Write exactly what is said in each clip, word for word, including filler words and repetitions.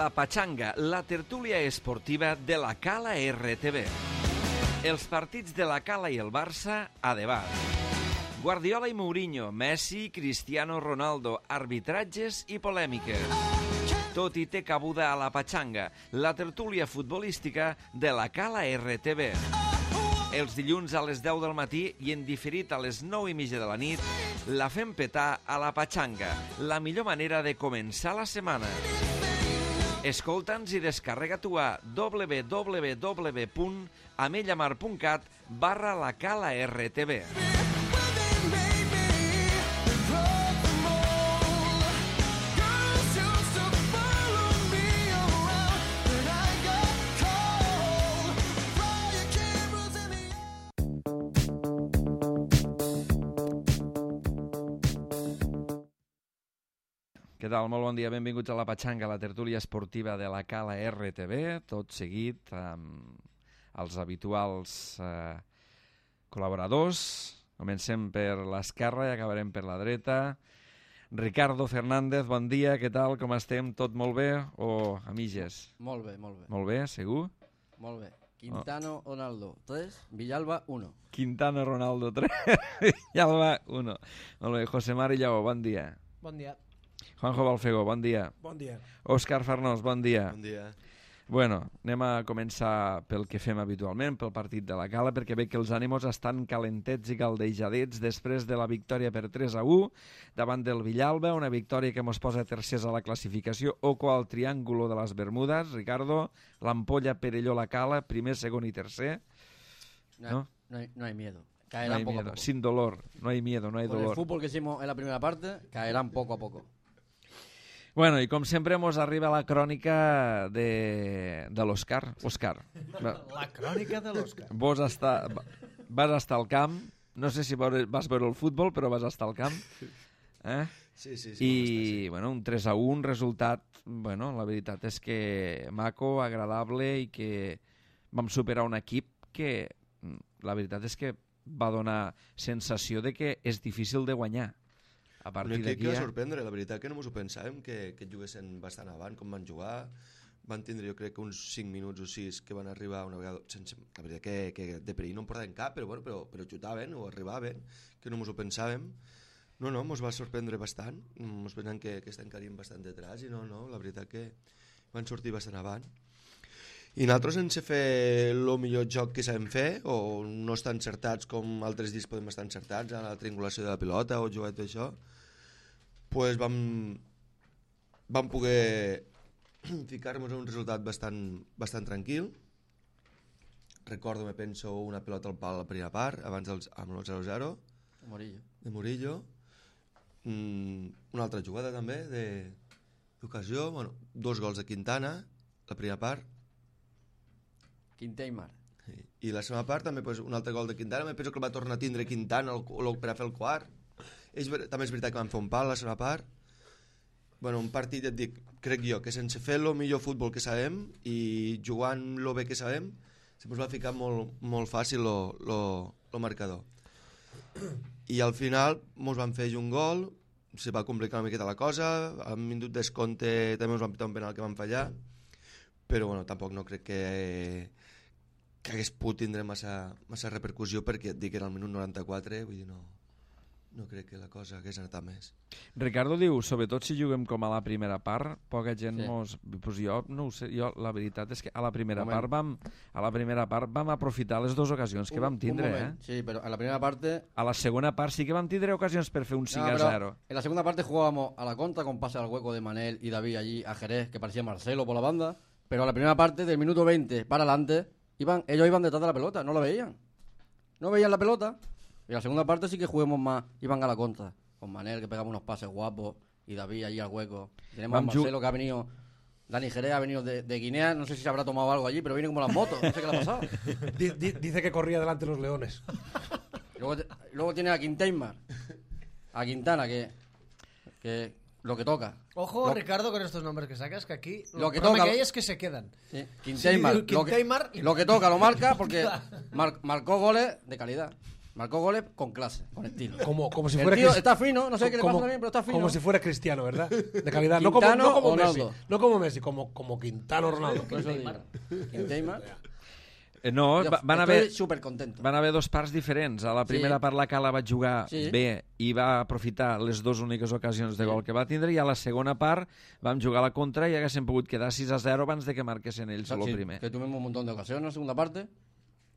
La Pachanga, la tertúlia esportiva de la Cala R T V. Els partits de la Cala i el Barça a debat. Guardiola i Mourinho, Messi, Cristiano Ronaldo, arbitratges i polèmiques. Tot hi té cabuda a La Pachanga, la tertúlia futbolística de la Cala R T V. Els dilluns a les deu del matí i en diferit a les nou i mitja de la nit, la fem petar a La Pachanga, la millor manera de començar la setmana. Escolta'ns i descarrega-t'ho a w w w punt amellamar punt cat barra la Cala R T V. Què tal? Molt bon dia, benvinguts a La Pachanga, la tertúlia esportiva de la Cala R T V, tot seguit amb els habituals eh, col·laboradors. Comencem per l'esquerra i acabarem per la dreta. Ricardo Fernández, bon dia, què tal, com estem? Tot molt bé o a mitges? Molt bé, molt bé. Molt bé, segur? Molt bé. Quintano, oh. Ronaldo, tres, Villalba, uno. Quintano, Ronaldo, tres, Villalba, uno. Molt bé, José Mari Lleó, bon dia. Bon dia. Juanjo Balfego, bon dia. Bon dia. Òscar Farnós, bon dia. Bon dia. Bueno, anem a començar pel que fem habitualment, pel partit de la Cala, perquè veig que els ànimos estan calentets i caldejadets després de la victòria per tres a u davant del Villalba, una victòria que mos posa tercers a la classificació, oco al triàngulo de les Bermudes. Ricardo, l'ampolla Perelló la Cala, primer, segon i tercer. No, ¿No? no, hay, no hay miedo. No Caerán hay poco miedo, a poco. sin dolor, no hay miedo, no hay Con dolor. el fútbol que hicimos en la primera parte, caerán poco a poco. Bueno, i com sempre mos arriba la crònica de, de l'Òscar. Òscar. La crònica de l'Òscar. Vos està, vas estar al camp, no sé si vas veure el futbol, però vas estar al camp. Eh? Sí, sí, sí. I, estar, sí. bueno, un tres a u, un resultat, bueno, la veritat és que maco, agradable i que vam superar un equip que, la veritat és que va donar sensació de que és difícil de guanyar. A partir un equip d'aquí que va ja... sorprendre, la veritat que no ens ho pensàvem, que, que juguessin bastant avant, com van jugar. Van tindre, jo crec que uns cinc minuts o sis que van arribar una vegada, sense, la veritat que, que de perill no en portaven cap, però, bueno, però, però xutaven o arribaven, que no ens ho pensàvem. No, no, ens va sorprendre bastant, ens pensàvem que, que estan caient bastant detrás i no, no, la veritat que van sortir bastant avant. I nosaltres, sense fer el millor joc que sabem fer, o no estar encertats com altres dies podem estar encertats a la triangulació de la pilota o jugar tot això, pues vam, vam poder ficar-nos en un resultat bastant, bastant tranquil. Recordo, me penso, una pilota al pal a la primera part, abans dels, amb el zero zero. Morillo. De Murillo. Mm, una altra jugada també, d'ocasió. Bueno, dos gols de Quintana, la primera part. Quinteimar. I la segona part també, pues, un altre gol de Quintana. Me penso que el va tornar a tindre Quintana el, el, per a fer el quart. És, també és veritat que van fer un pal a la segona part. Bueno, un partit, et dic, crec jo, que sense fer el millor futbol que sabem i jugant el bé que sabem, se ens va ficar molt, molt fàcil el marcador. I al final ens van fer un gol, se va complicar una miqueta la cosa, al minut descompte també ens van pitar un penal que van fallar, però bueno, tampoc no crec que... que hagués pogut tindre massa, massa repercussió, perquè et dic que era el minut noranta-quatre, vull dir, no, no crec que la cosa hagués anat a més. Ricardo diu, sobretot si juguem com a la primera part, poca gent Sí. mos... Pues jo no ho sé, jo la veritat és que a la primera Moment. part vam a la primera part vam aprofitar les dues ocasions que Un- vam tindre, un eh? moment. Sí, pero en la primera parte... A la segona part sí que vam tindre ocasions per fer un cinc No, a pero zero. en la segunda parte jugábamos a la contra con pase al hueco de Manel y David allí a Jerez, que parecía Marcelo por la banda. Pero en la primera parte, del minuto veinte para adelante, iban, ellos iban detrás de la pelota, no la veían. No veían la pelota. Y en la segunda parte sí que juguemos más, iban a la contra. Con Manel, que pegaba unos pases guapos, y David allí al hueco. Y tenemos a Vam ju- Marcelo, que ha venido... Dani Jerez ha venido de, de Guinea, no sé si se habrá tomado algo allí, pero viene como las motos, no sé qué le ha pasado. Di- di- Dice que corría delante de los leones. Y luego, te- luego tiene a Quinteimar, a Quintana, que, que lo que toca. Ojo, Lo- Ricardo, con estos nombres que sacas, que aquí Lo lo que que, problema toca- que hay es que se quedan. Sí, Quinteimar, Sí, lo, que, Quinteimar y- lo que toca lo marca porque mar- marcó goles de calidad. Marcó goles con clase, con estilo. Como, como si El fuera tío Cris- está fino, no sé qué le como- pasa también, pero está fino. Como si fuera Cristiano, ¿verdad? De calidad. No como, Quintano no como o Messi. Ronaldo. No como Messi, como, como Quintano Ronaldo. Por eso digo. Quintana. Eh, No, Jo va- van estoy haver, súper contento. van haver dos parts diferents. A la primera Sí. part la Cala va jugar Sí. bé i va aprofitar les dues úniques ocasions de gol que va tindre, i a la segona part vam jugar a la contra i haguéssim pogut quedar sis a zero abans de que marquessin ells el Sí, primer. que tuvimos un montón de ocasiones en la segunda parte,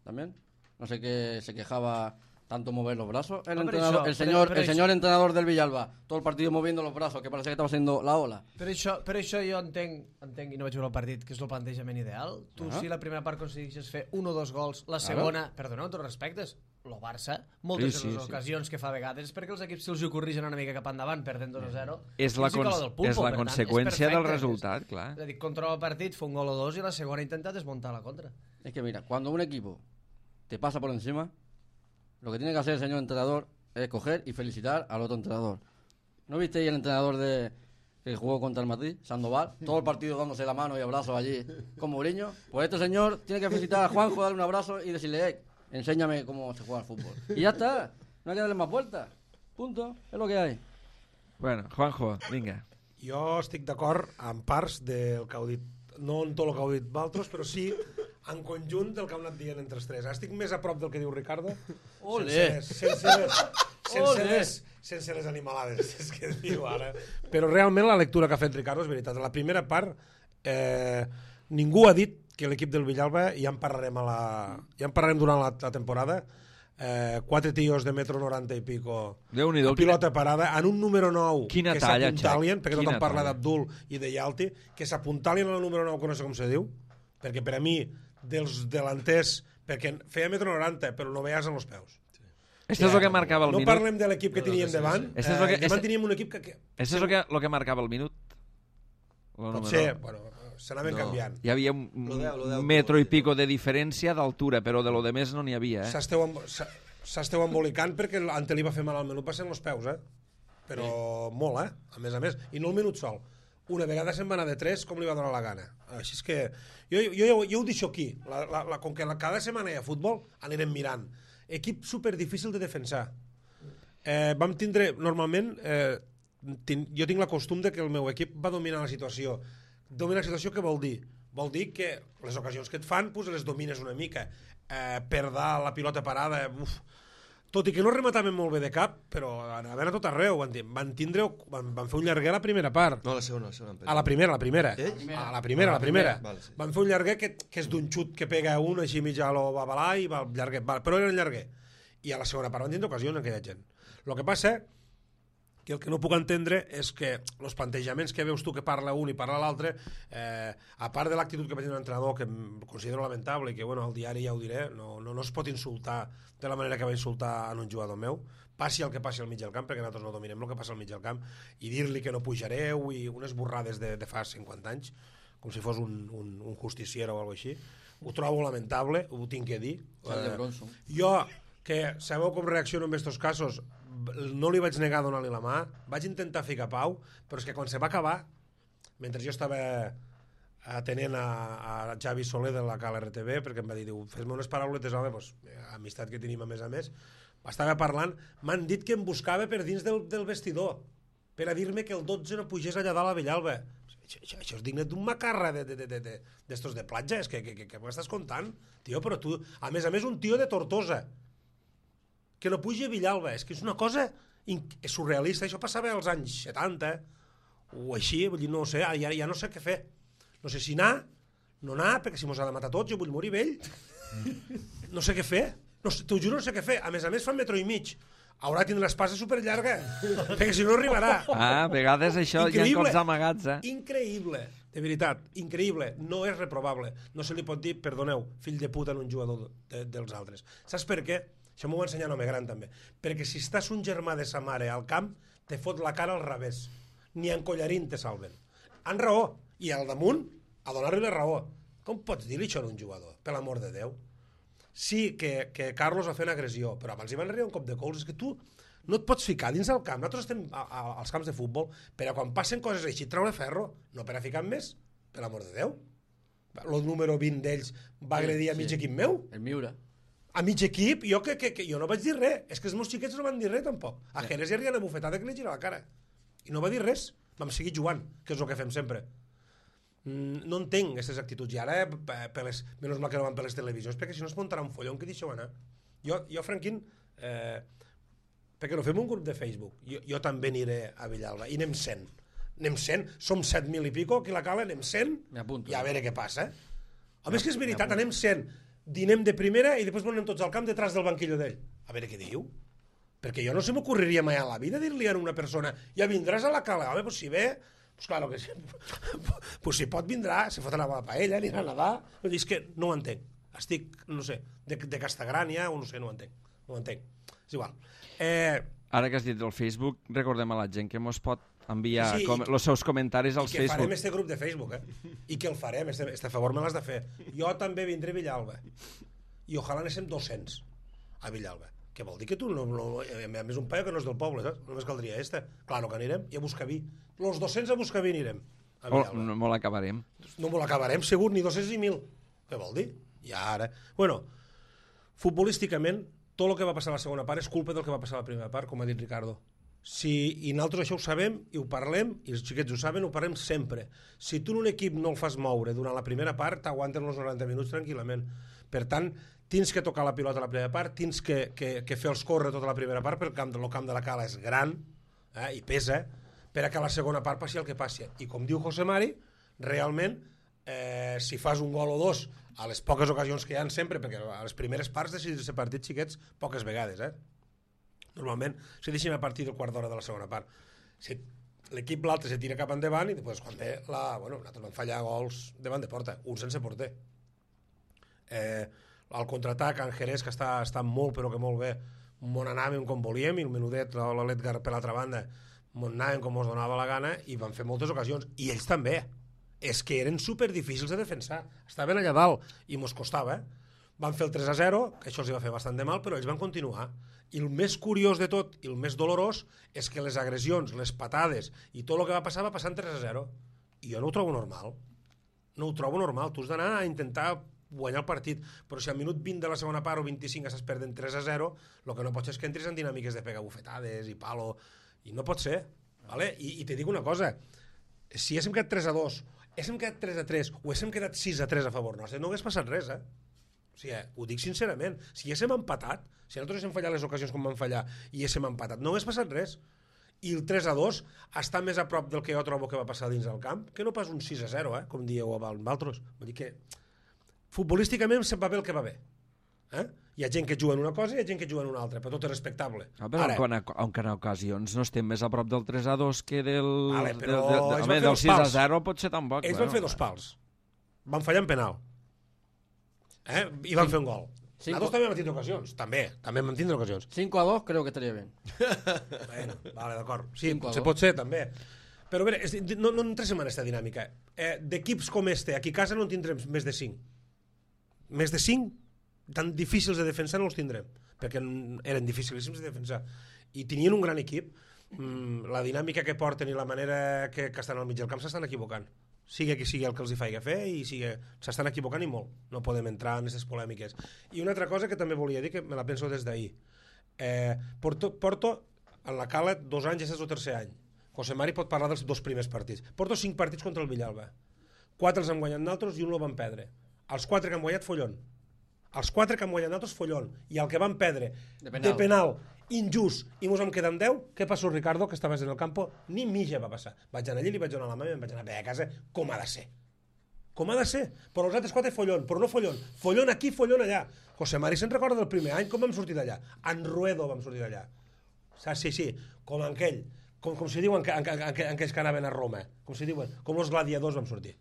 también. No sé qué se quejaba tanto mover los brazos. El, No, pero entrenador, això- el, però- señor, però el això- señor entrenador del Villalba, todo el partido moviendo los brazos, que parecía que estaba haciendo la ola. Per això, per això jo entenc, entenc, i no vaig veure el partit, que és el plantejament ideal. Tu, Ah. si la primera part aconsegueixes fer un o dos gols, la segona, perdoneu, amb tots respectes, el Barça, moltes Sí, de sí, les sí. ocasions que fa a vegades és perquè els equips se'ls hi corrigen una mica cap endavant, perdent dos a zero. És la, Ells hi cola cons del pulpo, és la per tant, conseqüència del perfecte. resultat, clar. És a dir, controla el partit, fa un gol o dos i la segona ha intentat desmuntar la contra. Es que mira, cuando un equipo te pasa por encima, lo que tiene que hacer el señor entrenador es coger y felicitar al otro entrenador. ¿No visteis el entrenador de que jugó contra el Madrid, Sandoval? Todo el partido dándose la mano y abrazos allí con Mourinho. Pues este señor tiene que felicitar a Juanjo, darle un abrazo y decirle, eh, enséñame cómo se juega al fútbol. Y ya está, no hay que darle más vueltas. Punto, es lo que hay. Bueno, Juanjo, vinga. Jo estic d'acord amb parts del que heu dit, no en tot el que heu dit valtros, però sí en conjunt del que heu anat dient entre els tres. Estic més a prop del que diu Ricardo, Ole. sense, sense, les, sense, Ole. les, sense les animalades, és que diu ara. Però realment la lectura que ha fet Ricardo és veritat. A la primera part, eh, ningú ha dit que l'equip del Villalba, ja en parlarem, a la, ja en parlarem durant la, la temporada, eh, quatre tios de metro noranta i pico, Déu-n'hi-do, a pilota parada, en un número nou Quina que talla, s'apuntalien, Xac, perquè quina tothom parla talla. d'Abdul i de Yalti, que s'apuntalien al número nou, que no sé com se diu, perquè per a mi, dels delanters, perquè feia metro noranta, però no veies en els peus. Esto és el que marcava el no minut. parlem de l'equip que teníem davant, Este és lo que- eh, davant este- teníem un equip que, que Això és el que, lo que marcava el minut. El pot número. ser, bueno, s'anaven No. canviant. Hi havia un, Lo deu, lo deu, un metro i lo deu. pico de diferència d'altura, però de lo de més no n'hi havia, eh? S'esteu embo- s'ha- s'esteu embolicant perquè l'Ante li va fer mal al menut, va ser en els peus, eh? Però molt, eh? A més a més. I no el minut sol. Una vegada se'n va anar de tres, com li va donar la gana. Així és que... Jo, jo, jo, jo ho deixo aquí. La, la, la, com que la, cada setmana hi ha futbol, anirem mirant. Equip super difícil de defensar. Eh, vam tindre, normalment, eh, tin, jo tinc la costum de que el meu equip va dominar la situació. Dominar la situació què vol dir? Vol dir que les ocasions que et fan, pues, les domines una mica. Eh, perdar la pilota parada, uf. Tot i que no remataven molt bé de cap, però anaven a tot arreu. Van, dir- van, tindre, van, van fer un llarguer a la primera part. No, la segona, la segona. A la primera, a la primera. Ells? A la primera, a la primera. Vale, sí. Van fer un llarguer que, que és d'un xut que pega un, així mig a lo babalà i va al llarguer. Va, però era un llarguer. I a la segona part van tindre ocasions aquella gent. El que passa que el que no puc entendre és que els plantejaments que veus tu que parla un i parla l'altre, eh, a part de l'actitud que va tenir l'entrenador, que em considero lamentable i que bueno, al diari ja ho diré, no, no, no es pot insultar de la manera que va insultar en un jugador meu, passi el que passi al mig del camp, perquè nosaltres no dominem el que passa al mig del camp, i dir-li que no pujareu i unes borrades de, de fa cinquanta anys, com si fos un, un, un justiciero o alguna cosa així, ho trobo lamentable, ho tinc que dir. Sal de Eh, Bronson. jo, que sabeu com reacciono en aquests casos, no li vaig negar donar-li la mà, vaig intentar ficar pau, però és que quan se va acabar, mentre jo estava atenent a, a Xavi Soler de la Cala R T V, perquè em va dir, diu, fes-me unes parauletes, home, pues, amistat que tenim a més a més, estava parlant, m'han dit que em buscava per dins del, del vestidor, per a dir-me que el dotze no pugés allà dalt a Villalba. Això, això, això és digne d'un macarra de, de, de, de, de, d'estos de platja, és que, que, que, que m'estàs contant? Tio, però tu, a més a més, un tio de Tortosa, que no pugi a Villalba, és que és una cosa és surrealista, això passava als anys setanta o així, vull dir, no ho sé, ja, ja no sé què fer, no sé si anar, no anar, perquè si mos ha de matar tots, jo vull morir vell, no sé què fer, no, t'ho juro, no sé què fer, a més a més fa metro i mig, haurà de tindre l'espasa superllarga, perquè si no arribarà. Ah, a vegades això hi ha cops amagats, eh? Increïble, de veritat, increïble, no és reprovable, no se li pot dir, perdoneu, fill de puta en un jugador de, dels altres. Saps per què? Això m'ho va ensenyar un home gran també, perquè si estàs un germà de sa mare al camp, te fot la cara al revés, ni en collarín te salven. Han raó, i al damunt, a donar-li la raó. Com pots dir-li això a un jugador, per l'amor de Déu? Sí, que, que Carlos va fer una agressió, però abans hi van arribar un cop de cols, és que tu no et pots ficar dins el camp, nosaltres estem a, a, als camps de futbol, per a quan passen coses així, treure ferro, no per a ficar més, per l'amor de Déu. El número vint d'ells va agredir a mig sí. equip meu, El Miura. a mig equip, jo, que, que, que jo no vaig dir res. És que els meus xiquets no van dir res, tampoc. A Jerez hi havia una bufetada que li gira la cara. I no va dir res. Vam seguir jugant, que és el que fem sempre. Mm, no entenc aquestes actituds. I ara, per les, menys mal que no van per les televisions, perquè si no es muntarà un follon que deixeu anar. Jo, jo Franquín, eh, perquè no fem un grup de Facebook. Jo, jo també aniré a Villalba. I anem cent. Anem cent. Som set mil i pico, aquí a la Cala, anem cent. I a veure què passa. Home, és que és veritat, anem cent. Dinem de primera i després anem tots al camp detrás del banquillo d'ell. A veure què diu. Perquè jo no se m'ocorreria mai a la vida dir-li a una persona ja vindràs a la Cala. Home, pues si ve, pues claro que sí. Pues si pot vindrà, se fotrà la paella, anirà a nedar. És que no ho entenc. Estic, no sé, de, de Castagrània o no sé, no ho entenc. No ho entenc. És igual. Eh... Ara que has dit el Facebook, recordem a la gent que mos pot enviar sí, com, els seus comentaris als Facebook. I que Facebook. farem este grup de Facebook, eh? I que el farem, este, este favor me l'has de fer. Jo també vindré a Villalba. I ojalà anéssim dos-cents a Villalba. Que vol dir que tu, no, no, a més un paio que no és del poble, saps? Només caldria este. Clar, no que anirem. I a Buscaví. Los dos-cents a Buscaví anirem. A Villalba. Oh, no molt acabarem. No molt acabarem, segur, ni dos-cents ni mil. Què vol dir? I ara... Bueno, futbolísticament, tot el que va passar a la segona part és culpa del que va passar a la primera part, com ha dit Ricardo. Si, i nosaltres això ho sabem i ho parlem, i els xiquets ho saben, ho parlem sempre. Si tu en un equip no el fas moure durant la primera part, t'aguanten els noranta minuts tranquil·lament. Per tant, tens que tocar la pilota a la primera part, tens que, que, que fer els córrer tota la primera part, perquè el camp, el camp de la Cala és gran, eh, i pesa, per a que a la segona part passi el que passi. I com diu José Mari, realment, eh, si fas un gol o dos a les poques ocasions que hi ha sempre, perquè a les primeres parts decidir ser partits xiquets poques vegades, eh? Normalment se deixen a partir del quart d'hora de la segona part. Si l'equip l'altre se tira cap endavant i després quan ve la... Bueno, nosaltres vam fallar gols davant de porta, un sense porter. Eh, el contraatac en Jerez, que està, està molt però que molt bé, on anàvem com volíem, i el menudet, l'Edgar per l'altra banda, on anàvem com ens donava la gana, i van fer moltes ocasions, i ells també. És que eren super difícils de defensar. Estaven allà dalt i mos costava. Van fer el tres a zero, que això els va fer bastant de mal, però ells van continuar. I el més curiós de tot, i el més dolorós, és que les agressions, les patades i tot el que va passar va passar en tres a zero. I jo no ho trobo normal. No ho trobo normal. Tu has d'anar a intentar guanyar el partit, però si al minut vint de la segona part o vint-i-cinc estàs perdent tres a zero, el que no pots és que entris en dinàmiques de pegar bufetades i palo, i no pot ser. Vale? I, i te dic una cosa, si haguéssim quedat tres a dos, haguéssim quedat tres a tres o haguéssim quedat sis a tres a favor nostre, no hagués passat res, eh? O sigui, ho dic sincerament, si haguéssim empatat, si nosaltres haguéssim fallat les ocasions com vam fallar i haguéssim empatat, no hagués passat res. I el tres a dos està més a prop del que jo trobo que va passar dins del camp que no pas un sis a zero, eh? Com dieu amb altres. Vull dir que futbolísticament se'n va bé el que va bé. Eh? Hi ha gent que juga en una cosa i hi ha gent que juga en una altra, però tot és respectable. Ah, però Ara, en, en, en ocasions no estem més a prop del tres a dos que del, vale, del, del, del, home, del sis a zero pot ser tan poc. Ells bueno, van fer dos pals. Van fallar en penal. Eh? I van sí. fer un gol. Cinco. Nosaltres també vam tindre ocasions. També, també vam tindre ocasions. cinco a dos creo que estaria bien. Bueno, vale, d'acord. Sí, se pot ser, també. Però bé, no, no entrem en aquesta dinàmica. Eh, D'equips com este, aquí a casa no en tindrem més de cinc. Més de cinc, tan difícils de defensar no els tindrem, perquè eren dificilíssims de defensar. I tenien un gran equip. Mm, la dinàmica que porten i la manera que, que estan al mig del camp s'estan equivocant. Sigui qui sigui el que els hi faci fer i sigui... s'estan equivocant i molt. No podem entrar en aquestes polèmiques. I una altra cosa que també volia dir, que me la penso des d'ahir. Eh, Porto, Porto, en la Cala, dos anys, és el tercer any. José Mari pot parlar dels dos primers partits. Porto cinc partits contra el Villalba. Quatre els han guanyat nosaltres i un el van perdre. Els quatre que han guanyat, follon. Els quatre que han guanyat nosaltres, follon. I el que van perdre de penal, de penal injust, i mos en queden deu, què passó, Ricardo, que estaves en el campo? Ni mitja va passar. Vaig anar allí, li vaig donar la mà i em vaig anar a casa, com ha de ser. Com ha de ser. Però els altres quatre follon, però no follon. Follon aquí, follon allà. José Mari se'n recorda del primer any, com vam sortir d'allà? En Ruedo vam sortir d'allà. Sí, sí, com en aquell, com, com si diuen en, en, en, en aquells que anaven a Roma, com si diuen, com els gladiadors vam sortir.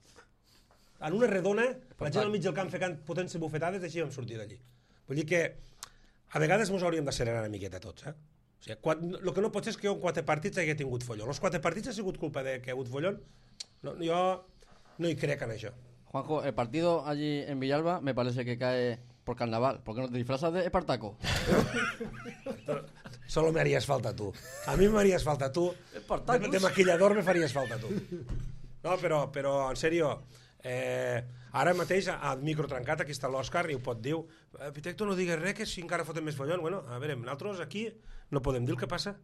En una redona, la gent al mig del camp fent potents bufetades, així vam sortir d'allí. Vull dir que a vegades ens hauríem de serenar una miqueta tots, eh? O sigui, el que no pot ser és que jo en quatre partits hagi tingut follon. Els quatre partits ha sigut culpa de que ha hagut follon? No, jo no hi crec en això. Juanjo, el partido allí en Villalba me parece que cae por carnaval. ¿Por qué no te disfrazas de Espartaco? Solo me harías falta tú. A mí me harías falta tú. De, de maquillador me farías falta tú. No, però, però en serio, Eh, ara mateix, al micro trencat, aquí està l'Òscar i ho pot dir. Eh, Pitecto, no digues res, que si encara fotem més follon. Bueno, a veure, nosaltres aquí no podem dir el que passa.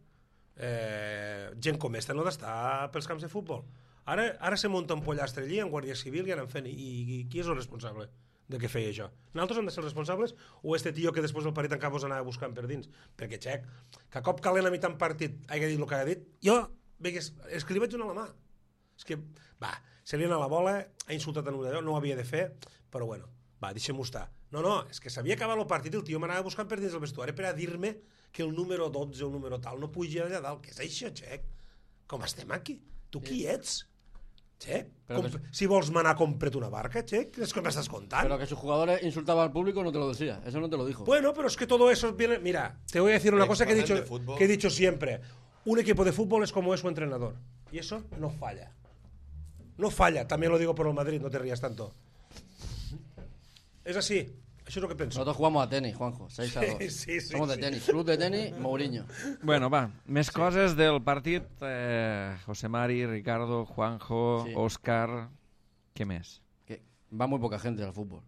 Eh, gent com esta no ha d'estar pels camps de futbol. Ara, ara se munta un pollastre allí, en Guàrdia Civil, i anem fent. I, i qui és el responsable de què feia això? Nosaltres hem de ser els responsables o este tio que després del partit encara us anava buscant per dins? Perquè, xec, que a cop calent a mitjan partit hagi dit el que ha dit, jo, vegues, és que li vaig donar la mà. És que, va, se li ha anat la bola, ha insultat en un d'allò, no ho havia de fer, però bueno, va, deixem-ho estar. No, no, és que s'havia acabat el partit i el tio m'anava buscant per dins el vestuari per a dir-me que el número dotze o el número tal no pugi allà dalt. Què és això, xec? Com estem aquí? Tu qui ets? Che, que... si vols manar, compra't una barca, che, es que me estás contando. Pero que sus jugadores insultaban al público no te lo decía, eso no te lo dijo. Bueno, pero es que todo eso viene... Mira, te voy a decir una cosa que he dicho, que he dicho siempre. Un equipo de fútbol es como es su entrenador. Y eso no falla. No falla, también lo digo por el Madrid, no te rías tanto. Es así. Això és el que penso. Nosotros jugamos a tenis, Juanjo, seis a dos. Sí, sí, sí, Somos de sí. tenis, club de tenis, Mourinho. Bueno, va, més sí. coses del partit. Eh, José Mari, Ricardo, Juanjo, sí. Óscar... ¿Qué més? Que va muy poca gente al fútbol.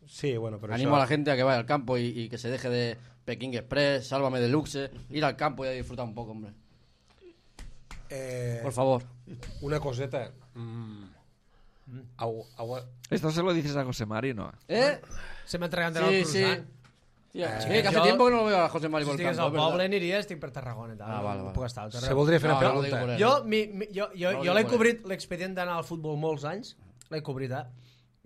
Sí, bueno, pero Animo eso... a la gente a que vaya al campo y, y que se deje de Pekín Express, Sálvame Deluxe, ir al campo y a disfrutar un poco, hombre. Eh... Por favor. Una coseta... Mm. Au, au... Esto se lo dices a José Mari, ¿no? ¿Eh? Se m'ha entregat Sí, el sí. cruzant. Sí, eh, Sí, que hace jo- tiempo que no lo veo a José Mari Si por el estigués campo. al es verdad. poble aniria, estic per Tarragona i tal. Ah, vale, no vale. puc estar al Se carrer. voldria fer No, una no lo digo pregunta. por él. Jo, mi, mi, jo, jo, No, jo no l'he por cobrit, l'expedient d'anar al futbol molts anys, l'he cobrit, eh?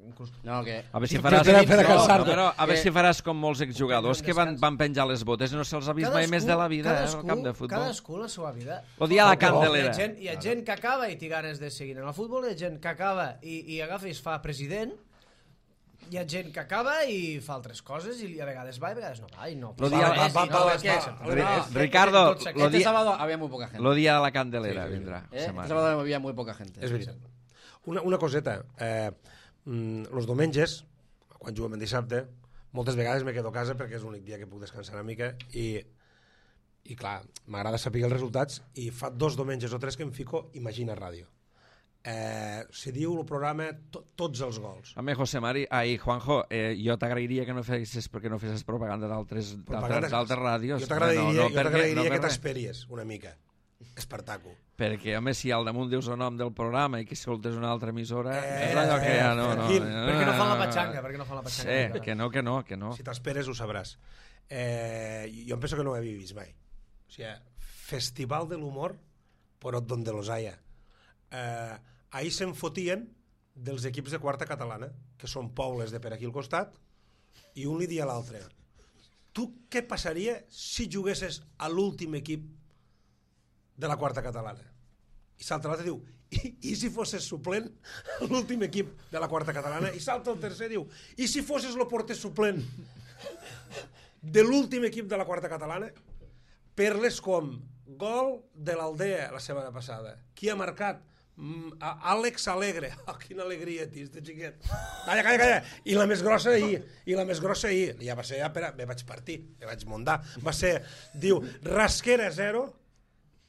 Inclús... No, que... A veure si Sí, faràs... per a- per a no, cansar-te. però a veure Que- si faràs com molts exjugadors que van, Descans. van penjar les botes i no se'ls ha vist mai més de la vida eh, al camp de futbol. Cadascú la seva vida. Lo dia a la Hi Candelera. ha, gent, hi ha gent que acaba i té ganes de seguir en el futbol, hi ha gent que acaba i, i agafa i es fa president, hi ha gent que acaba i fa altres coses i a vegades va i a vegades no va i no. Lo dia- Va, va, va, va, va, va, va, va, Ri- va, Ricardo, tot s'ha- lo Este di- sábado había muy poca gente. Lo dia de la Candelera Sí, sí, sí. vindrà. ¿Eh? José Este Mari. sábado había muy poca gente. És veritat. Una, una coseta. Eh, mm, los diumenges, quan juguem en dissabte, moltes vegades me quedo a casa perquè és l'únic dia que puc descansar una mica i, i clar, m'agrada saber els resultats i fa dos diumenges o tres que em fico Imagina Ràdio. Eh, se diu el programa to, Tots els gols. Home, José Mari, ai, Juanjo, eh, jo t'agrairia que no fessis perquè no fessis propaganda d'altres Propaganda- d'altres d'altres ràdios. Jo t'agradaria no, no, jo per què- t'agradaria no per que res. t'esperies una mica. Espartaco. Perquè, home, si al damunt dius el nom del programa i que escoltes una altra emissora, Eh, és allò que ja no... no Quim, eh, Per què no fan la patxanga? Per què no fan la patxanga? Sí, que no, que no, que no. Si t'esperes ho sabràs. Eh, jo em penso que no ho havia vist mai. O sigui, Festival de l'Humor, però donde los haya. Eh, ahir se'n fotien dels equips de quarta catalana, que són pobles de per aquí al costat, i un li dia a l'altre. Tu què passaria si juguessis a l'últim equip de la quarta catalana? I salta l'altre i diu, I, i si fossis suplent a l'últim equip de la quarta catalana? I salta el tercer i diu, i si fossis el porter suplent de l'últim equip de la quarta catalana? Perles com gol de l'Aldea la setmana passada. Qui ha marcat? Mm, a- Àlex Alegre. Oh, quina alegria, tio, este xiquet. Calla, calla, calla. I la més grossa ahir. I la més grossa ahir. Ja va ser, ja, per a... me vaig partir, me vaig muntar. Va ser, diu, Rasquera zero,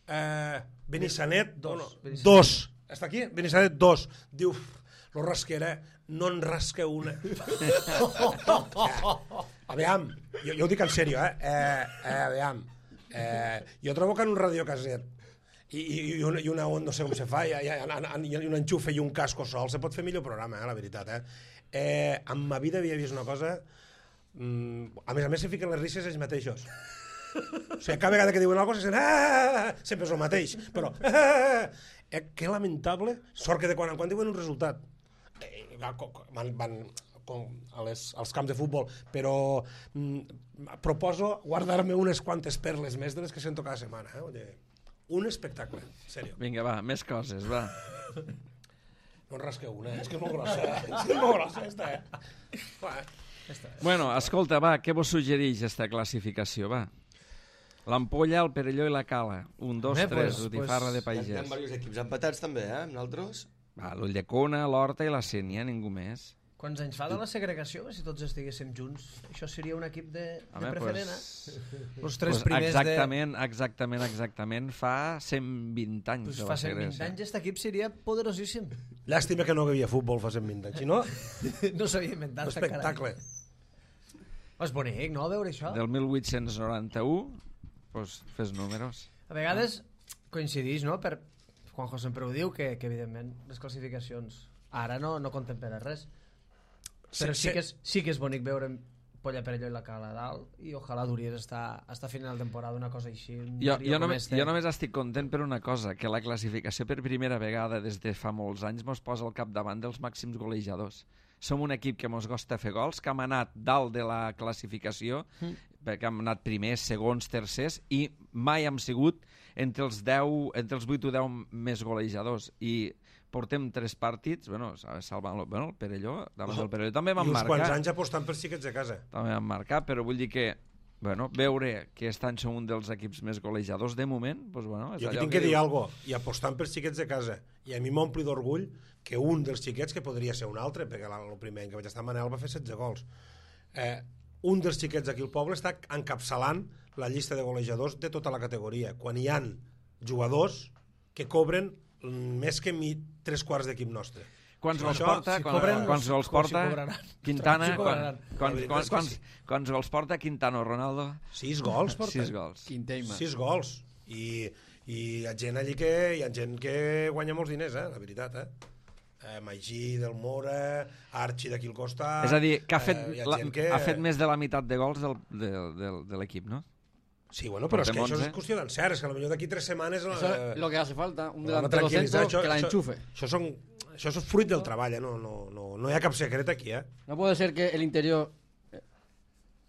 eh, Benissanet dos. No, dos. Està aquí? Benissanet dos. Diu, lo Rasquera no en rasca una. Aviam, jo, jo ho dic en sèrio, eh? eh, eh aviam, eh, jo trobo que en un radiocaset i, i, i, una, i una on no sé com se fa, i, i, i, i un enxufe i un casco sol, se pot fer millor programa, eh, la veritat. Eh? Eh, en ma vida havia vist una cosa... Mm, a més a més se fiquen les risses ells mateixos. O sigui, cada vegada que diuen alguna cosa, ah, sempre és el mateix. Però, ah, eh, que lamentable, sort que de quan en quan diuen un resultat. Eh, van, van com a les, als camps de futbol, però mm, proposo guardar-me unes quantes perles més de les que sento cada setmana. Eh? Oye, un espectacle, en sèrio. Vinga, va, més coses, va. No en rasqueu una, eh? És que és molt grossa, eh? És que és molt grossa, esta, eh? Va, eh? Bueno, escolta, va, què vos suggereix esta classificació, va? L'Ampolla, el Perelló i la Cala. Un, dos, Bé, tres, pues- Botifarra de Hi ha, hi ha Pagès. diversos equips empatats també, eh, amb nosaltres. Va, l'Ulldecona, l'Horta i la Sénia, ningú més. Quants anys fa de la segregació? Si tots estiguéssim junts, això seria un equip de, Home, de preferent, pues, eh? Els tres pues primers exactament, exactament, exactament, fa cent vint de... anys Pues de fa la cent vint segregació. anys aquest equip seria poderosíssim. Llàstima que no hi havia futbol fa cent vint anys, si no, No s'havia inventat. espectacle. És bonic, no?, veure això. Del mil vuit-cents noranta-u, pues, fes números. A vegades coincideix, no?, per... Juanjo sempre ho diu, que, que evidentment les classificacions ara no, no compten per a res. Però sí, sí, que és, sí que és bonic veure Polla Perelló i la Cala a dalt i ojalà duries estar, estar a final de temporada una cosa així. Jo, jo, només, jo només estic content per una cosa, que la classificació per primera vegada des de fa molts anys mos posa al capdavant dels màxims golejadors. Som un equip que mos costa fer gols, que hem anat dalt de la classificació, mm. perquè hem anat primers, segons, tercers, i mai hem sigut entre els, deu, entre els vuit o deu més golejadors. I portem tres partits, bueno, salvant bueno, el Perelló, davant del Perelló també vam I uns marcar. quants anys apostant per xiquets de casa. També vam marcar, però vull dir que bueno, veure que aquest any som un dels equips més golejadors de moment, doncs, bueno, és Jo aquí allò tinc que, que dir dius. alguna cosa, i apostant per xiquets de casa. I a mi m'ompli d'orgull que un dels xiquets, que podria ser un altre, perquè el primer any que vaig estar Manel va fer setze gols, eh, un dels xiquets aquí al poble està encapçalant la llista de golejadors de tota la categoria, quan hi han jugadors que cobren més que mi tres quarts d'equip nostre. Quants gols Això, porta? si Quan- cobren, Quants gols si porta? cobraran. Quintana? Si quan- cobraran. quants- La veritat quants- és que quants- sí. Quants gols porta Quintana o Ronaldo? Sis gols porta. Sis gols. Quinteima. Sis gols. I, i hi ha gent allí que hi ha gent que guanya molts diners, eh? La veritat, eh? eh Magí, Del Mora, Archi d'aquí al costat... És a dir, que ha fet, eh, hi ha la, gent que... ha fet més de la meitat de gols del, de, de, de l'equip, no? Sí, bueno, però és que Portem això onze. és qüestió d'encert, és que potser d'aquí tres setmanes... Eso eh, es lo que hace falta, un Bueno, delantero tranquil·litzar, centro que la això- enchufe. Això, són, això és fruit del treball, eh? no, no, no, no hi ha cap secret aquí, eh? No puede ser que el interior eh,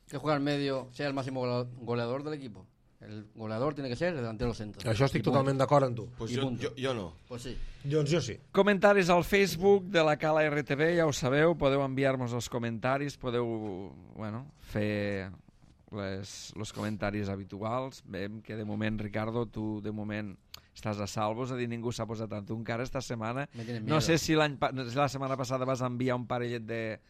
que juega al medio sea el máximo gola- goleador del equipo. El goleador tiene que ser el delantero centro. Això estic I punt. totalment d'acord amb tu. Pues I jo, punto. jo, jo no. Pues sí. Doncs jo sí. Comentaris al Facebook de la Cala R T V, ja ho sabeu, podeu enviar-nos els comentaris, podeu bueno, fer les, els comentaris habituals. Veiem que de moment, Ricardo, tu de moment estàs a salvo, és a dir, ningú s'ha posat amb tu encara esta setmana. Me tienes No miedo. sé si, l'any pa- si la setmana passada vas enviar un parellet de,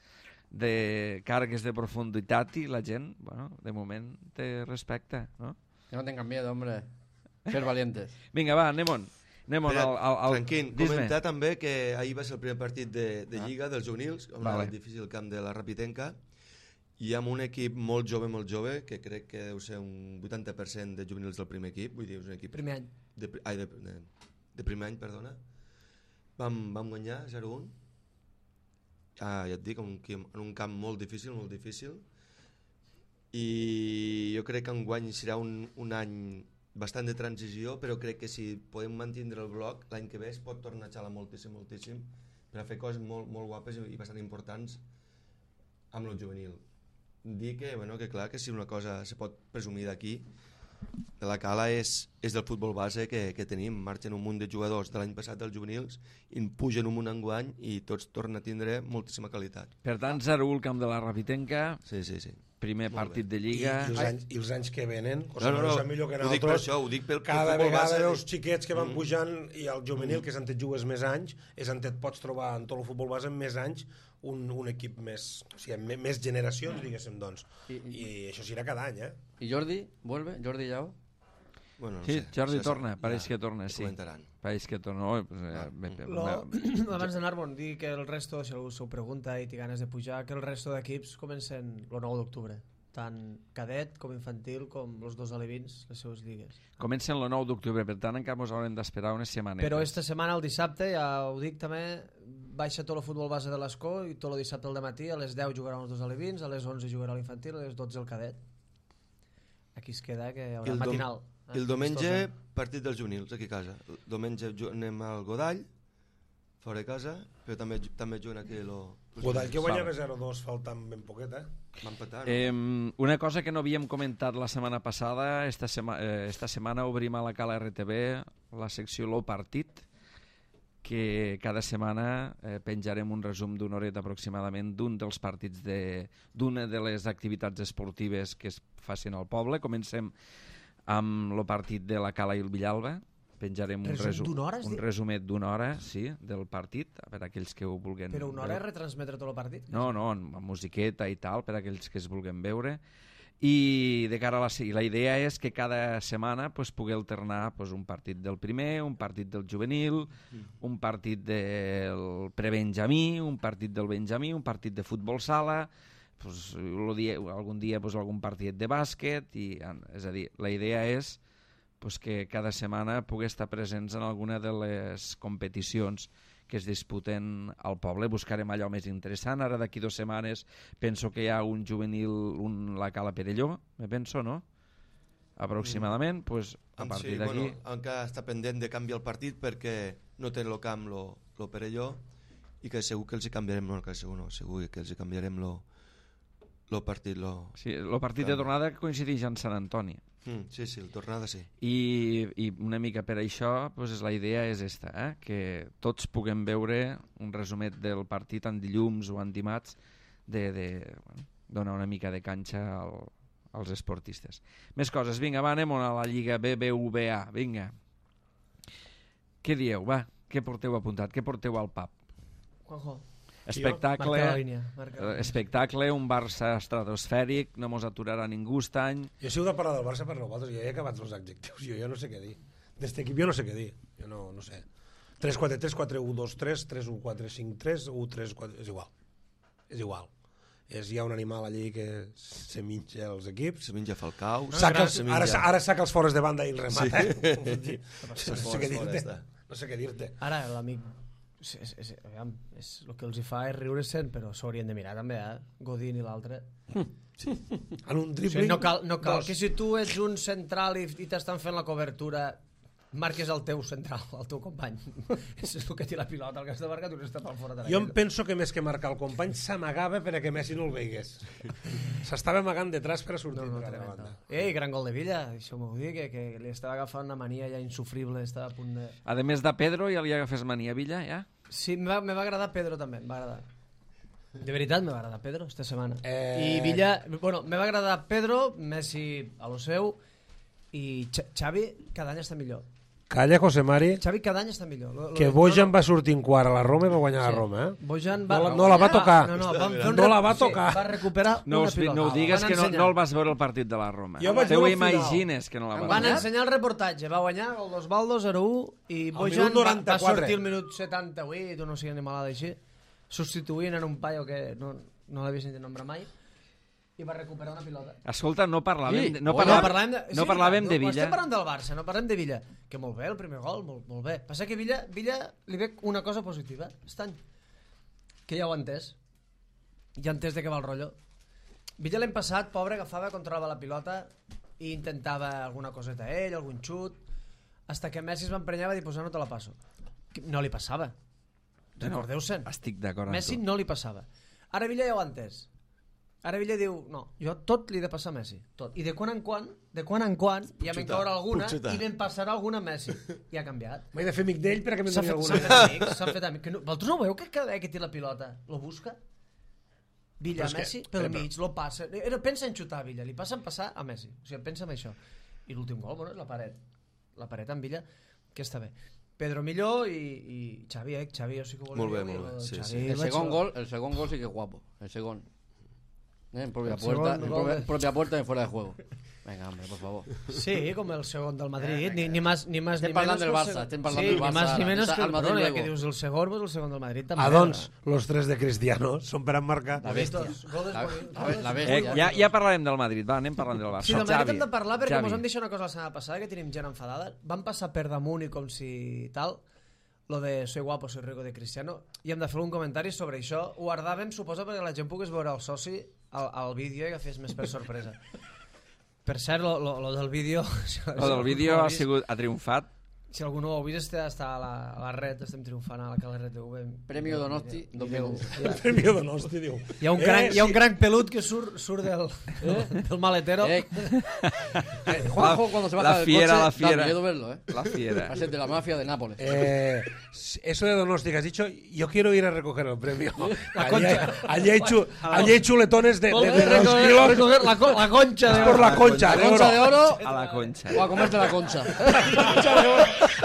de cargues de profunditat i la gent, bueno, de moment te respecta, no? Que no tengan miedo, hombre. Ser valientes. Vinga, va, anem-on. Anem on, Espera, al, al, al... Tranquil, Dis-me. comentar també que ahir va ser el primer partit de, de Lliga dels juvenils, on Vale. vale. el difícil camp de la Rapitenca, i amb un equip molt jove, molt jove, que crec que deu ser un vuitanta per cent de juvenils del primer equip, vull dir, és un equip... Primer any. De, pri- ai, de, de, de primer any, perdona. Vam, vam guanyar zero un. Ah, ja et dic, en un, camp- en un camp molt difícil, molt difícil. I jo crec que enguany serà un, un any bastant de transició, però crec que si podem mantindre el bloc, l'any que ve es pot tornar a xalar moltíssim, moltíssim, per a fer coses molt, molt guapes i, i bastant importants amb el juvenil. Dir que, bueno, que clar, que si una cosa se pot presumir d'aquí, de la Cala és, és del futbol base que, que tenim. Marxen un munt de jugadors de l'any passat dels juvenils i en pugen un munt enguany i tots tornen a tindre moltíssima qualitat. Per tant, zero u el camp de la Rapitenca, Sí, sí, sí. primer Molt partit bé. de I, Lliga... i, els anys, I els anys que venen, o No, sigui, no, no, no, millor que ho dic per nosaltres, això, ho dic pel, pel cada futbol vegada base. els xiquets que van Mm. pujant i el juvenil, que és on et jugues més anys, és on et pots trobar en tot el futbol base en més anys un, un equip més, o sigui, amb me- més generacions, diguéssim, doncs. I, I i, això serà cada any, eh? y Jordi vuelve, Jordi Yao. Bueno, no Sí, sé, Jordi això torna, ja pareix que torna, ho sí. comentaran. Pareix que torna... Oh, pues, eh, bé, bé, Lo, bé. abans d'anar-me'n, dir que el resto, si algú s'ho pregunta i té ganes de pujar, que el resto d'equips comencen el nou d'octubre. Tant cadet com infantil com els dos alevins, les seues lligues. Comencen el nou d'octubre, per tant encara ens haurem d'esperar unes setmanes. Però esta setmana, el dissabte, ja ho dic també, baixa tot el futbol base de l'Escó i tot el dissabte al matí a les deu jugaran els dos alevins, a les onze jugarà l'infantil, a les dotze el cadet. Aquí es queda que hi I haurà el, dom matinal. i el diumenge, partit dels juvenils, aquí a casa. El diumenge ju- anem al Godall, fora de casa, però també, ju- també juguen aquí lo, los Godall que juvenils. guanyava zero dos faltant ben poquet, eh? Va empatar, no? Eh, una cosa que no havíem comentat la setmana passada, esta, sema, eh, esta setmana obrim a la Cala R T V la secció Lo Partit, que cada setmana eh, penjarem un resum d'una horeta aproximadament d'un dels partits de- d'una de, de les activitats esportives que es facin al poble. Comencem amb el partit de la Cala i el Villalba, penjarem un, Resum resu d'una hora, has un dit? resumet d'una hora, sí, del partit, per a aquells que ho vulguin Però una hora és veure. retransmetre tot el partit? No, no, amb musiqueta i tal, per a aquells que es vulguin veure. I de cara a la, la idea és que cada setmana pues, pugui alternar pues, un partit del primer, un partit del juvenil, un partit del prebenjamí, un partit del benjamí, un partit de futbol sala, pues, lo dia, algun dia pues, algun partit de bàsquet, i, és a dir, la idea és pues, que cada setmana pugui estar presents en alguna de les competicions que es disputen al poble. Buscarem allò més interessant. Ara d'aquí dues setmanes penso que hi ha un juvenil, un la Cala Perelló, me penso, no? Aproximadament, mm. pues, a partir sí, d'aquí... Bueno, encara està pendent de canviar el partit perquè no té el camp lo, lo Perelló i que segur que els hi canviarem, no, que segur no, segur que els hi canviarem lo, lo partit. Lo... Sí, el partit de tornada coincideix en Sant Antoni. Mm, sí, sí, el tornada sí. I, i una mica per això pues, la idea és esta, eh? Que tots puguem veure un resumet del partit en dilluns o en dimarts de, de bueno, donar una mica de canxa al, als esportistes. Més coses, vinga, va, anem a la Lliga B B V A, vinga. Què dieu, va? Què porteu apuntat? Què porteu al pub? Juanjo. Espectacle, Marca la línia, marca la línia. espectacle, un Barça estratosfèric, no mos aturarà ningú aquest any. Jo si heu de parlar del Barça per nosaltres, jo ja he acabat els adjectius, jo ja no sé què dir. D'este equip jo no sé què dir, jo no, no sé. tres quatre tres, quatre un dos tres, tres un quatre cinc tres, un tres quatre... És igual, és igual. És, hi ha un animal allí que se minja els equips. Se menja Falcau. No, saca els, se ara, menja... ara saca els fores de banda i el remata. Sí. Eh? no, sé què dir-te. No sé què dir-te. Ara, l'amic... És, és, és, aviam, és, el que els hi fa és riure-se'n, però s'haurien de mirar també, eh? Godín i l'altre. Sí. En un O dribbling... sigui, no cal, no cal dos. que si tu ets un central i, i t'estan fent la cobertura marques el teu central, el teu company. És el que té la pilota, el que està marcat, tu n'està per fora de Jo em penso que més que marcar el company s'amagava perquè Messi no el veigués. S'estava amagant detrás per a sortir No, no, per a la tremendo. banda. Ei, gran gol de Villa, això m'ho dir, que, que li estava agafant una mania ja insufrible, estava a punt de... A més de Pedro, ja li agafes mania a Villa, ja? Sí, me va, me va agradar Pedro també, em va agradar. De veritat me va agradar Pedro esta setmana. Eh... I Villa, bueno, me va agradar Pedro, Messi a lo seu, i Ch Xavi cada any està millor. Calla, José Mari, Xavi cada any està millor. Lo, lo que de- Bojan no, va sortir en quart a la Roma i va guanyar Sí. la Roma, eh? Bojan va... No la- no la va tocar. No, no, van fer un No rep- la va sí, tocar. va recuperar No, una us, pilota. no ho digues, Van que no, ensenyar. no el vas veure el partit de la Roma. Jo vaig Te ho veure al final. imagines que no la Han vas Van veure. ensenyar el reportatge, va guanyar el d'Osvaldo zero u i Al Bojan minut va, va noranta-quatre. sortir el minut setanta-vuit o no sé, animalada així, substituint en un paio que no, no l'havia sentit nombrar mai i va recuperar una pilota. Escolta, no parlàvem, Sí, de, no bueno, parlàvem, de, no parlàvem de no, Villa. Estem parlant del Barça, no parlem de Villa. Que molt bé, el primer gol, molt, molt bé. Passa que Villa, Villa li ve una cosa positiva, aquest any. Que ja ho ha entès. Ja ha entès de què va el rotllo. Villa l'any passat, pobre, agafava, controlava la pilota i intentava alguna coseta a ell, algun xut, hasta que Messi es va emprenyar i va dir, pues no te la passo. No li passava. Recordeu-se'n. Estic d'acord amb Messi tu. no li passava. Ara Villa ja ho ha entès. Ara Villa diu, no, jo tot li he de passar a Messi, tot. I de quan en quan, de quan en quan, ja me'n xutar, caurà alguna puc xutar. i me'n passarà alguna a Messi. I ha canviat. M'he de fer amic d'ell perquè me'n S'han doni fet, alguna. s'han fet amics, s'han fet amics. Que no, vosaltres no veieu que cada vegada que té la pilota lo busca? Villa Però és a que- Messi, pel però- mig, lo passa. Era, pensa en xutar a Villa, li passa en passar a Messi. O sigui, pensa en això. I l'últim gol, bueno, és la paret. La paret amb Villa, que està bé. Pedro millor i, i Xavi, eh? Xavi, jo sí que ho volia Molt bé, dir, molt bé, i sí, Xavi sí. El vaig- segon gol, el segon gol sí que es guapo. El segon. Eh, En propia El puerta, segon en gol propia, de- propia puerta y fuera de juego. Venga, hombre, por favor. Sí, com el segon del Madrid, ni, ni más ni más Estem ni parlant menos del que el Barça, segon. estem parlant sí, del ni Barça más ni ara. menos Està que el al Madrid Madrid, ja luego. que dius el segon, pues el segon del Madrid també. Ah, doncs, los tres de Cristiano són per emmarcar. La bestia. Bonitos, goles La, bonitos. la, la Eh, bestia. ja, ja parlarem del Madrid, va, anem parlant del Barça. Sí, del Madrid Xavi, hem de parlar perquè Xavi. mos han deixat una cosa la setmana passada que tenim gent enfadada. Van passar per damunt i com si tal lo de soy guapo, soy rico de Cristiano i hem de fer un comentari sobre això. Ho guardàvem, suposo, perquè la gent pogués veure el soci al, al vídeo i agafés més per sorpresa. Per cert, lo, lo, lo del vídeo... Si El del vídeo ha sigut ha triomfat. Si algú no ho ha vist, està, està a, la, a la red, estem triomfant a la Cala R T V. Premio Donosti dos mil onze. El premi de Donosti, diu. Hi ha un Eh, cranc, hi ha un sí. cranc pelut que surt, surt del, del maletero. Eh, eh, Juanjo, cuando se baja la del fiera, coche, la fiera. da miedo verlo, ¿eh? La fiera. Va a ser de la mafia de Nápoles. Eh, eso de Donosti que has dicho, yo quiero ir a recoger el premio. La allí, concha. hay, allí, hay chu- allí hay chuletones de, de, Vol de dos recoger, kilos recoger la, co- la concha es de por la concha La de concha oro. de oro A la concha. o a comerte la concha.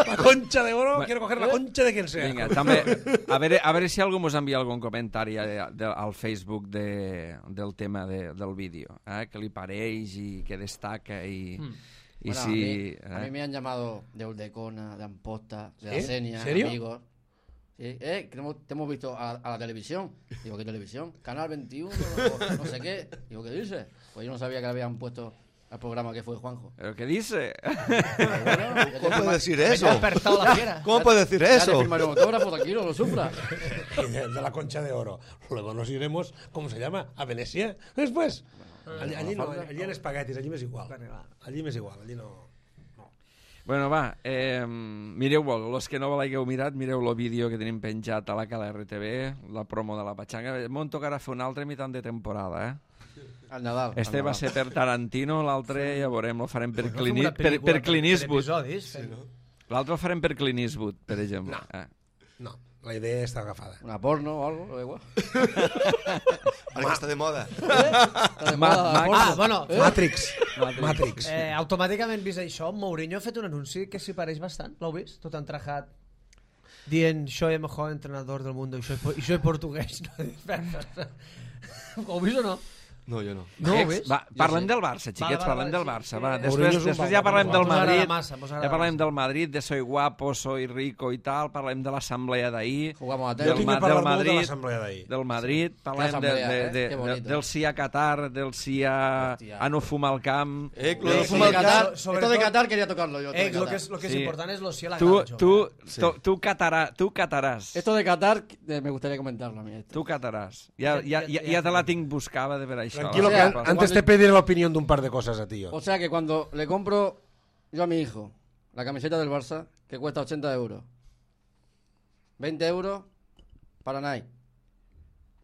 La concha de oro, quiero coger la concha de quien sea. Vinga, també, a veure, a veure si algú ens envia algun comentari de, de, al Facebook de, del tema de, del vídeo, eh? Que li pareix i que destaca i... Mm. Y bueno, si, a, mí, ¿eh? a mí me han llamado de Uldecona, de Amposta, de ¿Sí? la Senia, ¿Serio? amigos. Sí, eh, que te hemos, te hemos visto a, a la televisión. Digo, ¿qué televisión? Canal veintiuno, no, no sé qué. Digo, ¿qué dices? Pues yo no sabía que le habían puesto al programa que fue Juanjo. ¿Pero qué dice? Bueno, ¿Cómo puede decir eso? Ha despertado la fiera. ¿Cómo puede decir ya te eso? firmaré un autógrafo, tranquilo, lo sufra. Y de, de la concha de oro. Luego nos iremos, ¿cómo se llama? A Venecia. Después. Bueno, allí, allí, no, falta, allí en espaguetis, allí m'és igual. Allí m'és igual, allí no... Bueno, va, eh, mireu-ho, els que no l'hagueu mirat, mireu el vídeo que tenim penjat a la Cala R T V, la promo de la Patxanga. M'on tocarà fer un altre mitant de temporada, eh? Al Nadal. Este al va Nadal. ser per Tarantino, l'altre ja veurem, el farem per, Fem Clini, una per, pel·lícula per Clint Eastwood. episodis, fem- L'altre el farem per Clint Eastwood, per exemple. No. Eh. No, la idea està agafada. Una porno o algo, da igual. Ara que està de moda. Está de Ma- moda la Ma- porno. Ah, bueno, Matrix. Matrix. eh, automàticament vist això, Mourinho ha fet un anunci que s'hi pareix bastant. L'heu vist? Tot entrajat dient, soy el mejor entrenador del mundo y soy, po- y soy portugués. Ho heu vist o no? No, jo no. No ho heu Ex, vist? va, parlem sí. del Barça, xiquets, Vale, vale, parlem del vale, Barça. sí, Va. sí. Després, Mourinho és un després ja vago, parlem del mos agrada Madrid, massa, mos agrada ja parlem massa. del Madrid, de soy guapo, soy rico i tal, parlem de l'assemblea d'ahir, Jugamos a Jo del, tenis. tinc Ma- que parlar del molt de Madrid, l'assemblea d'ahir. del Madrid, parlem de, assemblea, de, eh? de, Que de, bonito. del sí a Qatar, del sí a, Hòstia. a no fumar al camp. Eh, Esto lo de de fumar Qatar, sobre esto de todo- Qatar quería tocarlo yo. esto Eh, de lo Qatar. que és, lo que és Sí. important és lo sí a la Tu, gana, tu, Sí. tu, tu, catarà, tu cataràs. Esto de Qatar eh, me gustaría comentarlo a mí. Esto. Tu cataràs. Ja, ja, ja, ja te la tinc buscada de per això. Tranquilo, O que sea, an- cuando- antes te pediré la opinión de un par de cosas a ti. yo. O sea que cuando le compro yo a mi hijo la camiseta del Barça, que cuesta ochenta euros, veinte euros para Nike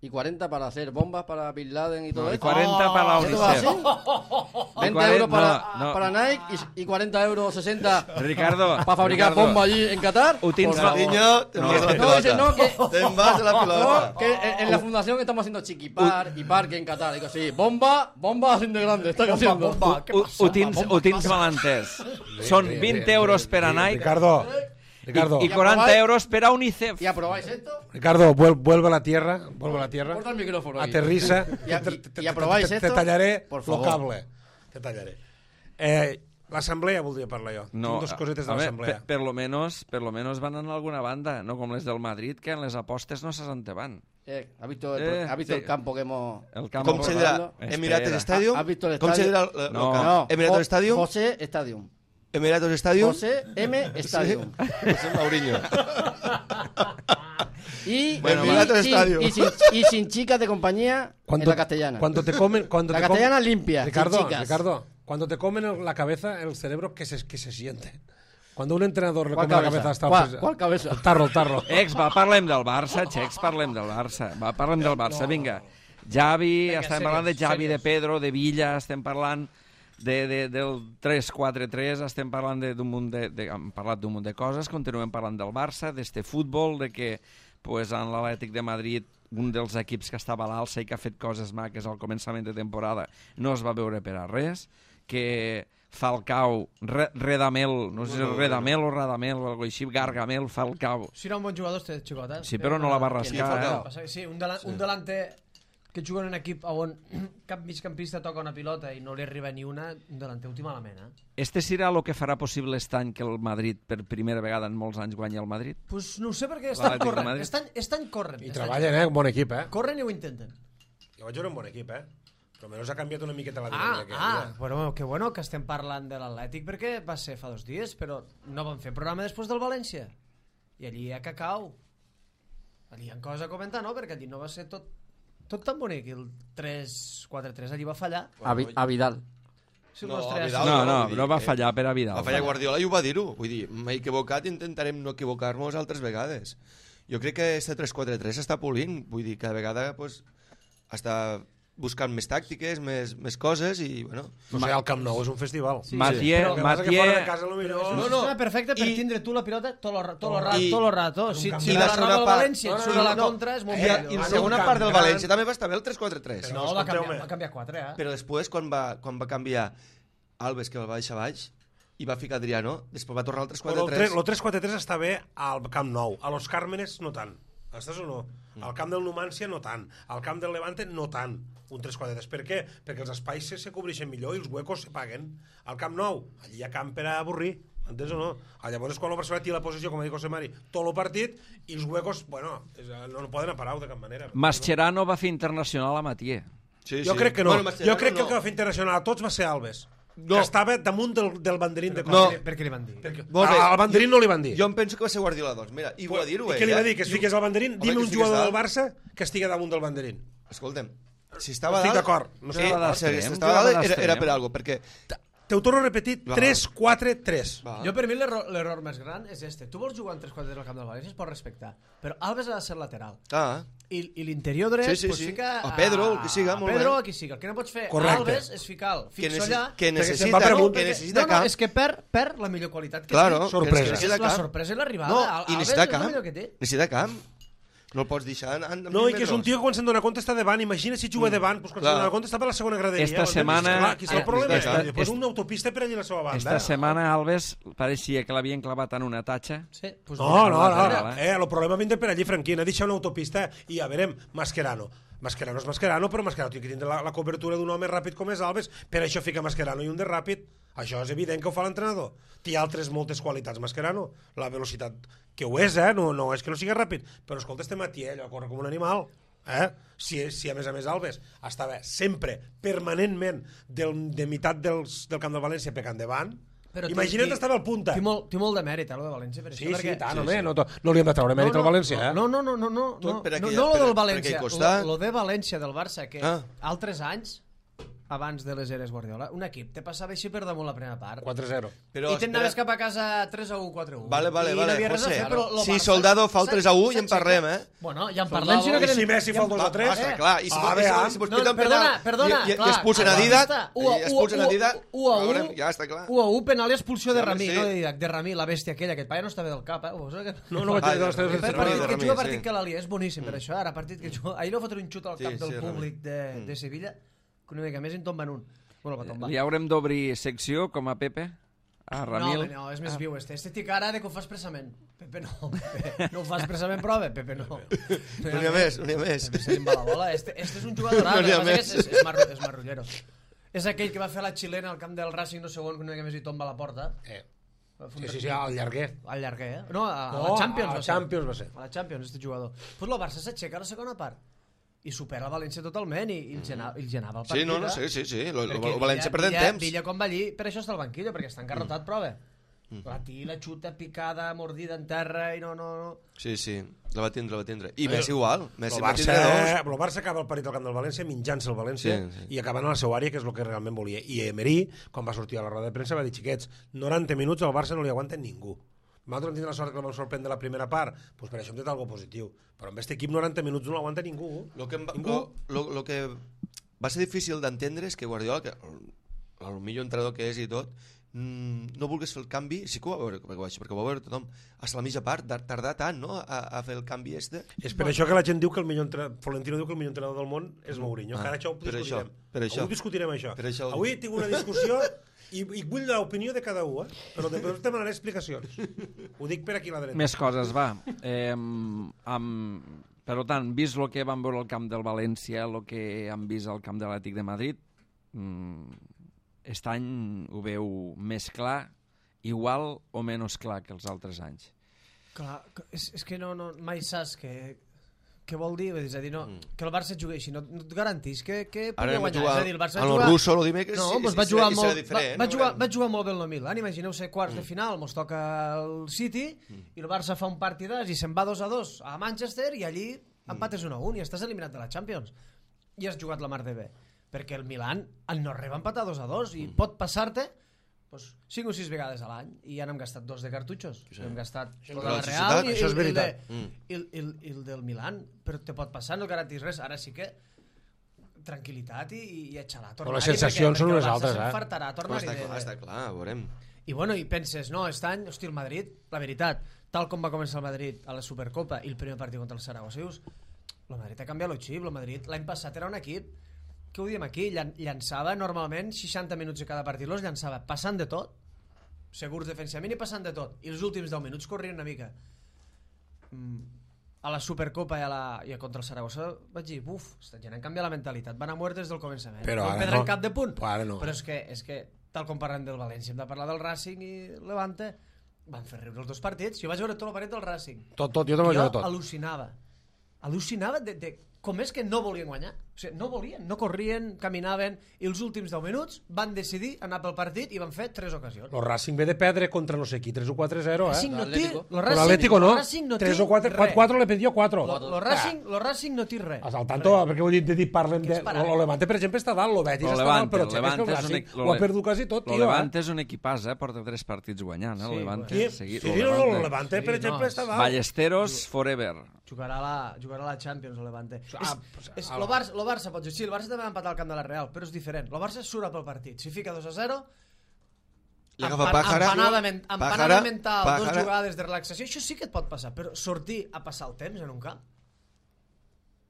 y cuarenta para hacer bombas para Bin Laden y todo No, y esto. cuarenta para la ¿Esto va así? UNICEF. veinte cuarenta euros para, no, no. para Nike y, y cuarenta euros sesenta Ricardo, para fabricar Ricardo, bombas allí en Qatar. Ho tens Por mal- favor. Niño, te No, vas a la no, dice, pelota. no, que- Te vas a la pelota. No, que en, en la fundación estamos haciendo chiquipar y parque en Qatar. Digo, sí, bomba, bomba así de grande, está haciendo. Bomba, què Ho, passa? ho tens, ho tens mal entès. Són vint euros per a Nike Ricardo, Ricardo, i, i quaranta aprobáis- euros per a UNICEF. ¿Y aprobáis esto? Ricardo, vuel- vuelve a la tierra, vuelve a la tierra, Corta el micrófono. ahí. aterriza, Y a- te- y- te- y te- aprobáis te- te esto, tallaré por lo favor. cable, te tallaré. Eh, l'assemblea voldria parlar jo. No, Tinc dos cosetes de a veure, l'assemblea. per, per, lo menos, per lo menos van en alguna banda, no com les del Madrid, que en les apostes no se van. Eh, ¿Has visto, el, Eh, ¿has visto sí. el campo que hemos... El camp Com se dirà? Espera. Emirates Stadium? ¿Has visto el Com se estadio? dirà? el- el- No. el camp? No, Emirates Jo- Stadium? José Stadium. Emirates Stadium? José M. Stadium. José Mourinho. Y, Bueno, y, Emirates sin, Stadium. y, sin, y sin chicas de compañía en la castellana. Cuando te comen, cuando La te com- castellana limpia, sin Ricardo, chicas. Ricardo, cuando te comen el- la cabeza, el cerebro que se, que se siente. Cuando un entrenador le ¿Cuál come la cabeza? cabeza hasta ¿Cuál- el, cuál cabeza? el tarro, el tarro. Ex, va, parlem del Barça, Xecs, parlem del Barça. Va, parlem del Barça, vinga. Javi, Vinga, estem serios, parlant de Javi, de serios. Pedro, de Villa, estem parlant de, de, del tres quatre tres, estem parlant de- d'un munt de, de, hem parlat d'un munt de coses, continuem parlant del Barça, d'este futbol, de que pues, en l'Atlètic de Madrid, un dels equips que estava a l'alça i que ha fet coses maques al començament de temporada, no es va veure per a res, que Falcao, Re, Redamel, no sé si és Redamel o Radamel o alguna així, Gargamel, Falcao. Si era un bon jugador, este xicot, eh? Sí, però no la va ¿Quién? rascar, Falcao. eh? Passa que sí, un, delan sí. un delanter que juga en un equip on cap migcampista toca una pilota i no li arriba ni una, un delanter últim element, eh? Este serà el que farà possible aquest any que el Madrid, per primera vegada en molts anys, guanyi el Madrid? Pues no ho sé perquè estan L'Atlètic de corrent, Madrid. estan, estan corrent. I estan treballen, eh? Un bon equip, eh? Corren i ho intenten. Jo vaig veure un bon equip, eh? Però almenys ha canviat una miqueta la Ah, dinàmica. ah, bueno, que bueno que estem parlant de l'Atlètic perquè va ser fa dos dies, però no van fer programa després del València. I allí hi ha cacau. Allí hi ha coses a comentar, no? Perquè allí no va ser tot, tot tan bonic. I el tres quatre tres allí va fallar. A, Vi- a Vidal. Si No, los a tres- Vidal. No, no, no, vull dir no va que- fallar per a Vidal. Va fallar Guardiola i ho va dir-ho. Vull dir, m'he equivocat i intentarem no equivocar-nos altres vegades. Jo crec que este tres quatre tres està polint. Vull dir, cada vegada pues, està buscant més tàctiques, més, més coses i, bueno... O sigui, el Camp Nou és un festival. Sí, Mathieu, però- El que passa que fora de Mathieu, casa, potser... No, no. Està perfecte per I- tindre tu la pilota tot el, ra- tot el, rato, I- tot el rato. Si, un si I la la roba segona el part- València et No, no, surt no, a la no. contra, és molt Eh, I, millor. i la en segona un part del camp gran- València també va estar bé el tres quatre tres. No, va escolteu-me. canviar, va canviar quatre, eh? Però després, quan va, quan va canviar Alves, que el va deixar baix, i va ficar Adriano, després va tornar al tres quatre El tres. tres quatre tres està bé al Camp Nou, a Los Cármenes no tant. Estàs o no? Al camp del Numancia no tant, al camp del Levante no tant, un tres quatre tres. Per què? Perquè els espais se, se cobreixen millor i els huecos se paguen. Al Camp Nou, allí hi ha camp per a avorrir, entens o no? Llavors és quan el Barcelona té la posició, com ha dit José Mari, tot el partit, i els huecos, bueno, és, no, no poden parar de cap manera. Mascherano va fer internacional a Matier. Sí, Jo sí. crec que no, Bueno, jo crec que no. el que va fer internacional a tots va ser Alves, No. que estava damunt del, del banderín de No. Costa. Per què li van dir? Perquè Molt bé. al banderín no li van dir. Jo em penso que va ser Guardiola, doncs. Mira, i ho va dir-ho, I eh? què li va dir? Que es fiqués al banderín? Home, Dime que un es fiqués jugador dalt. del Barça que estigui damunt del banderín. Escolta'm, si estava Estic dalt... d'acord. No sé, Jugava o sigui, si d'extrem, estava jugava dalt era, era d'extrem. per algo, perquè... Te ho torno a repetir, Va. tres quatre tres. Va. Jo per mi l'error l'error més gran és este. Tu vols jugar en tres quatre al camp del València, es pot respectar. Però Alves ha de ser lateral. Ah, I, i l'interior dret, Sí, sí, pues sí. fica... A Pedro, el que siga, a molt Pedro, bé. a qui siga. El que no pots fer Correcte. a Alves és ficar-lo. que, Fixo necess... allà... que se'n necessita, va per no, amunt. que necessita no, no, camp. és que perd, perd la millor qualitat que Claro, té. Sorpresa. que necessita És la camp. sorpresa i l'arribada. No, Al- i Alves necessita és el camp. millor que té. Necessita camp. No el pots deixar en, en No, i que és un metres. tio que quan se'n dona compte està davant. Imagina si juga davant, doncs quan Clar. se'n dona compte està per la segona graderia. Esta Doncs, setmana- Clar, aquí està el eh, problema. esta- I després esta- una autopista per allà a la seva banda. Esta setmana Alves pareixia que l'havien clavat en una tatxa. Sí, pues No, mira, no, la no, lateral, eh, el problema vindre per allí, Franquín, ha deixat una autopista i ja veurem, Mascherano. Mascherano és Mascherano, però Mascherano té que tindre la, la cobertura d'un home ràpid com és Alves, per això fica Mascherano i un de ràpid. Això és evident que ho fa l'entrenador. Té altres moltes qualitats, Mascherano. La velocitat, que ho és, eh? No, no és que no sigui ràpid, però escolta, este Matier, allò corre com un animal. Eh? Si, si a més a més Alves estava sempre, permanentment, del, de meitat dels, del camp del València pecant davant, Però imagina't té- estava al punta. Té molt, té molt de mèrit, eh, lo de València. Per Sí, això, sí, perquè... tant, home, no, to- no li hem de treure mèrit al València, eh? No, no, no, no, no, Tot no, per no, aquella- no lo per- del per València, aquell costat. lo, lo de València del Barça, que Ah. altres anys, abans de les eres Guardiola, un equip te passava així per damunt la primera part. quatre zero. Però, I te'n anaves espera, cap a casa tres a u, quatre a u. Vale, vale, I vale, no havia res a José. fer, però lo Si Barça Soldado fa el s'ha- tres a u i en s'aixeca. parlem, eh? Bueno, ja en Soldado. parlem, si no I querem... si Messi fa el dos a tres? Basta, clar, i si, Ah, i bé, si, ah. si mos No, piten perdona, penal perdona, i, i, clar, i expulsen a clar, Didac, està. i expulsen a Didac, u a u, veurem, ja està clar. u a u, penal i expulsió de Sí, home, Ramí, sí. no de Didac, de Ramí, la bèstia aquella, que el paia no estava del cap, eh? Ho veus, que... No, no vaig Ah, dir de les teves Ramí, Per de excepcions. partit de que Ramí, juga, sí. partit que l'Ali, és boníssim, per això, ara partit que juga... Ahir li va fotre un xut al Sí, cap del sí, Ramí. públic de, de Sevilla, que una mica més en tomben un. Bueno, va tombar. Li haurem d'obrir secció, com a Pepe, a Ramil. No, no, és més viu este. Este té cara de que ho fa expressament. Pepe no, Pepe. No ho fa expressament, però bé, Pepe no. No n'hi ha més, no n'hi ha més. Pepe se li va la bola. Este, este és un jugador, No n'hi ha no, és, més. és, és, marro, és marrullero. És aquell que va fer la xilena al camp del Racing no segon, que una mica més hi tomba a la porta. Eh. Va fer un Sí, sí, re- sí, al llarguer. Al llarguer, eh? No, a, a No, la Champions. a va la ser. Champions va ser. A la Champions, este jugador. Pues el Barça s'aixeca a la segona part i supera el València totalment i, i, el, genava, i el genava el partit. Sí, no, no, eh? sí, sí, sí. Lo, lo, Perquè lo València Villa- perdent Villa- temps. Villa quan va allí, per això està al banquillo, perquè està encarrotat, però bé. La tira, xuta, picada, mordida en terra i no, no, no. Sí, sí, la va tindre, la va tindre. I Messi igual. Messi El va Barça, tindre dos. el Barça acaba el partit al camp del València menjant-se el València Sí, sí. i acabant a la seva àrea, que és el que realment volia. I Emery, quan va sortir a la roda de premsa, va dir, xiquets, noranta minuts al Barça no li aguanten ningú. Nosaltres vam tindre la sort que el vam sorprendre la primera part, doncs per això hem dit alguna positiu. Però amb aquest equip noranta minuts no l'aguanta ningú. Lo que, em va, Ningú. lo, lo, lo que va ser difícil d'entendre és que Guardiola, que el, el millor entrenador que és i tot, mm, no volgués fer el canvi, sí que ho va veure, perquè, ho va- perquè ho va veure tothom, fins a la mitja part, de tardar tant, no?, a, a fer el canvi este. És per això que la gent diu que el millor entrenador, Florentino diu que el millor entrenador del món és Mourinho. Ah, que ara això ho per discutirem. això, per això. Avui discutirem això. Per això ho Avui tinc una discussió i, i vull l'opinió de cada un, eh? Però després te demanaré explicacions. Ho dic per aquí a la dreta. Més coses, va. Eh, amb... Per tant, vist el que vam veure al camp del València, el que han vist al camp de l'Atlètic de Madrid, mm, aquest any ho veu més clar, igual o menys clar que els altres anys. Clar, que- és, és que no, no, mai saps què, què vol dir. És a dir, no, Mm. que el Barça jugui així, no, no et garantís que, que Ara pugui anem a guanyar. jugar És a dir, el Barça a lo juga- russo, lo dimecres, No, sí, doncs sí, va sí, jugar i serà molt, va, diferent, va, no jugar, veurem. va jugar molt bé el Milan. Imagineu-se quarts de final, mos toca el City i el Barça fa un partidàs i se'n va dos a dos a Manchester i allí empates un a un i estàs eliminat de la Champions. I has jugat la mar de bé. Perquè el Milan el no va empatar dos a dos i pot passar-te pues, cinc o sis vegades a l'any i ja n'hem gastat dos de cartutxos. Sí. Hem gastat Això tot és la la Real societat, i, això és i, i, el de, veritat. Mm. i, el, i, el, i el del Milan, però te pot passar, no garantís res. Ara sí que tranquil·litat i, i a xalar. Però les sensacions són unes altres, eh? S'enfartarà, Però tornar-hi està de, clar, està clar, veurem. i bueno, i penses, no, aquest any, hosti, el Madrid, la veritat, tal com va començar el Madrid a la Supercopa i el primer partit contra el Saragossa, dius, el Madrid ha canviat el xip, el Madrid l'any passat era un equip, que ho diem aquí, llan llançava normalment seixanta minuts de cada partit, los llançava passant de tot, segurs defensivament i passant de tot. I els últims deu minuts corrien una mica. Mm, a la Supercopa i, a la, i a contra el Saragossa vaig dir, buf, esta gent han canviat la mentalitat, van a muerte des del començament. Però no ara perdran no. cap de punt. Però ara no. Però és que, és que, tal com parlem del València, hem de parlar del Racing i Levante, van fer riure els dos partits. Jo vaig veure tot el partit del Racing. Tot, tot, jo també vaig jo veure tot. al·lucinava. Al·lucinava de, de com és que no volien guanyar. O sigui, no volien, no corrien, caminaven, i els últims deu minuts van decidir anar pel partit i van fer tres ocasions. El Racing ve de perdre contra no sé qui, tres o quatre a zero, eh? Racing no té, lo Con Racing, l'Atlético no, lo Racing no té tres o quatre, res. quatre le pidió quatre. Lo, lo, Racing, lo Racing no té res. As al tanto, Res. perquè vull dir, de dir, parlem Que de... és parat. El Levante, per exemple, està dalt, el Betis Lo està dalt, Levante, però el el Levante el és un Racing equi- lo ho ha le- perdut quasi tot, Lo tio, Levante eh? és un equipàs, eh? Porta tres partits guanyant, eh? Sí, El Levante. Sí, Seguit, sí, lo no, no, el Levante. Levante, per Sí, exemple, no, està sí. dalt. Ballesteros forever. Jugarà a la, jugarà a la Champions, el Levante. Ah, és, pues, és, a lo, la- Barça, lo Barça pot dir, sí, el Barça també va empatar al camp de la Real, però és diferent. El Barça surt pel partit. Si fica dos a zero, Li agafa empan- Pájara. empanada, men, empanada Pájara, mental, Pájara. dos jugades de relaxació, això sí que et pot passar, però sortir a passar el temps en un camp,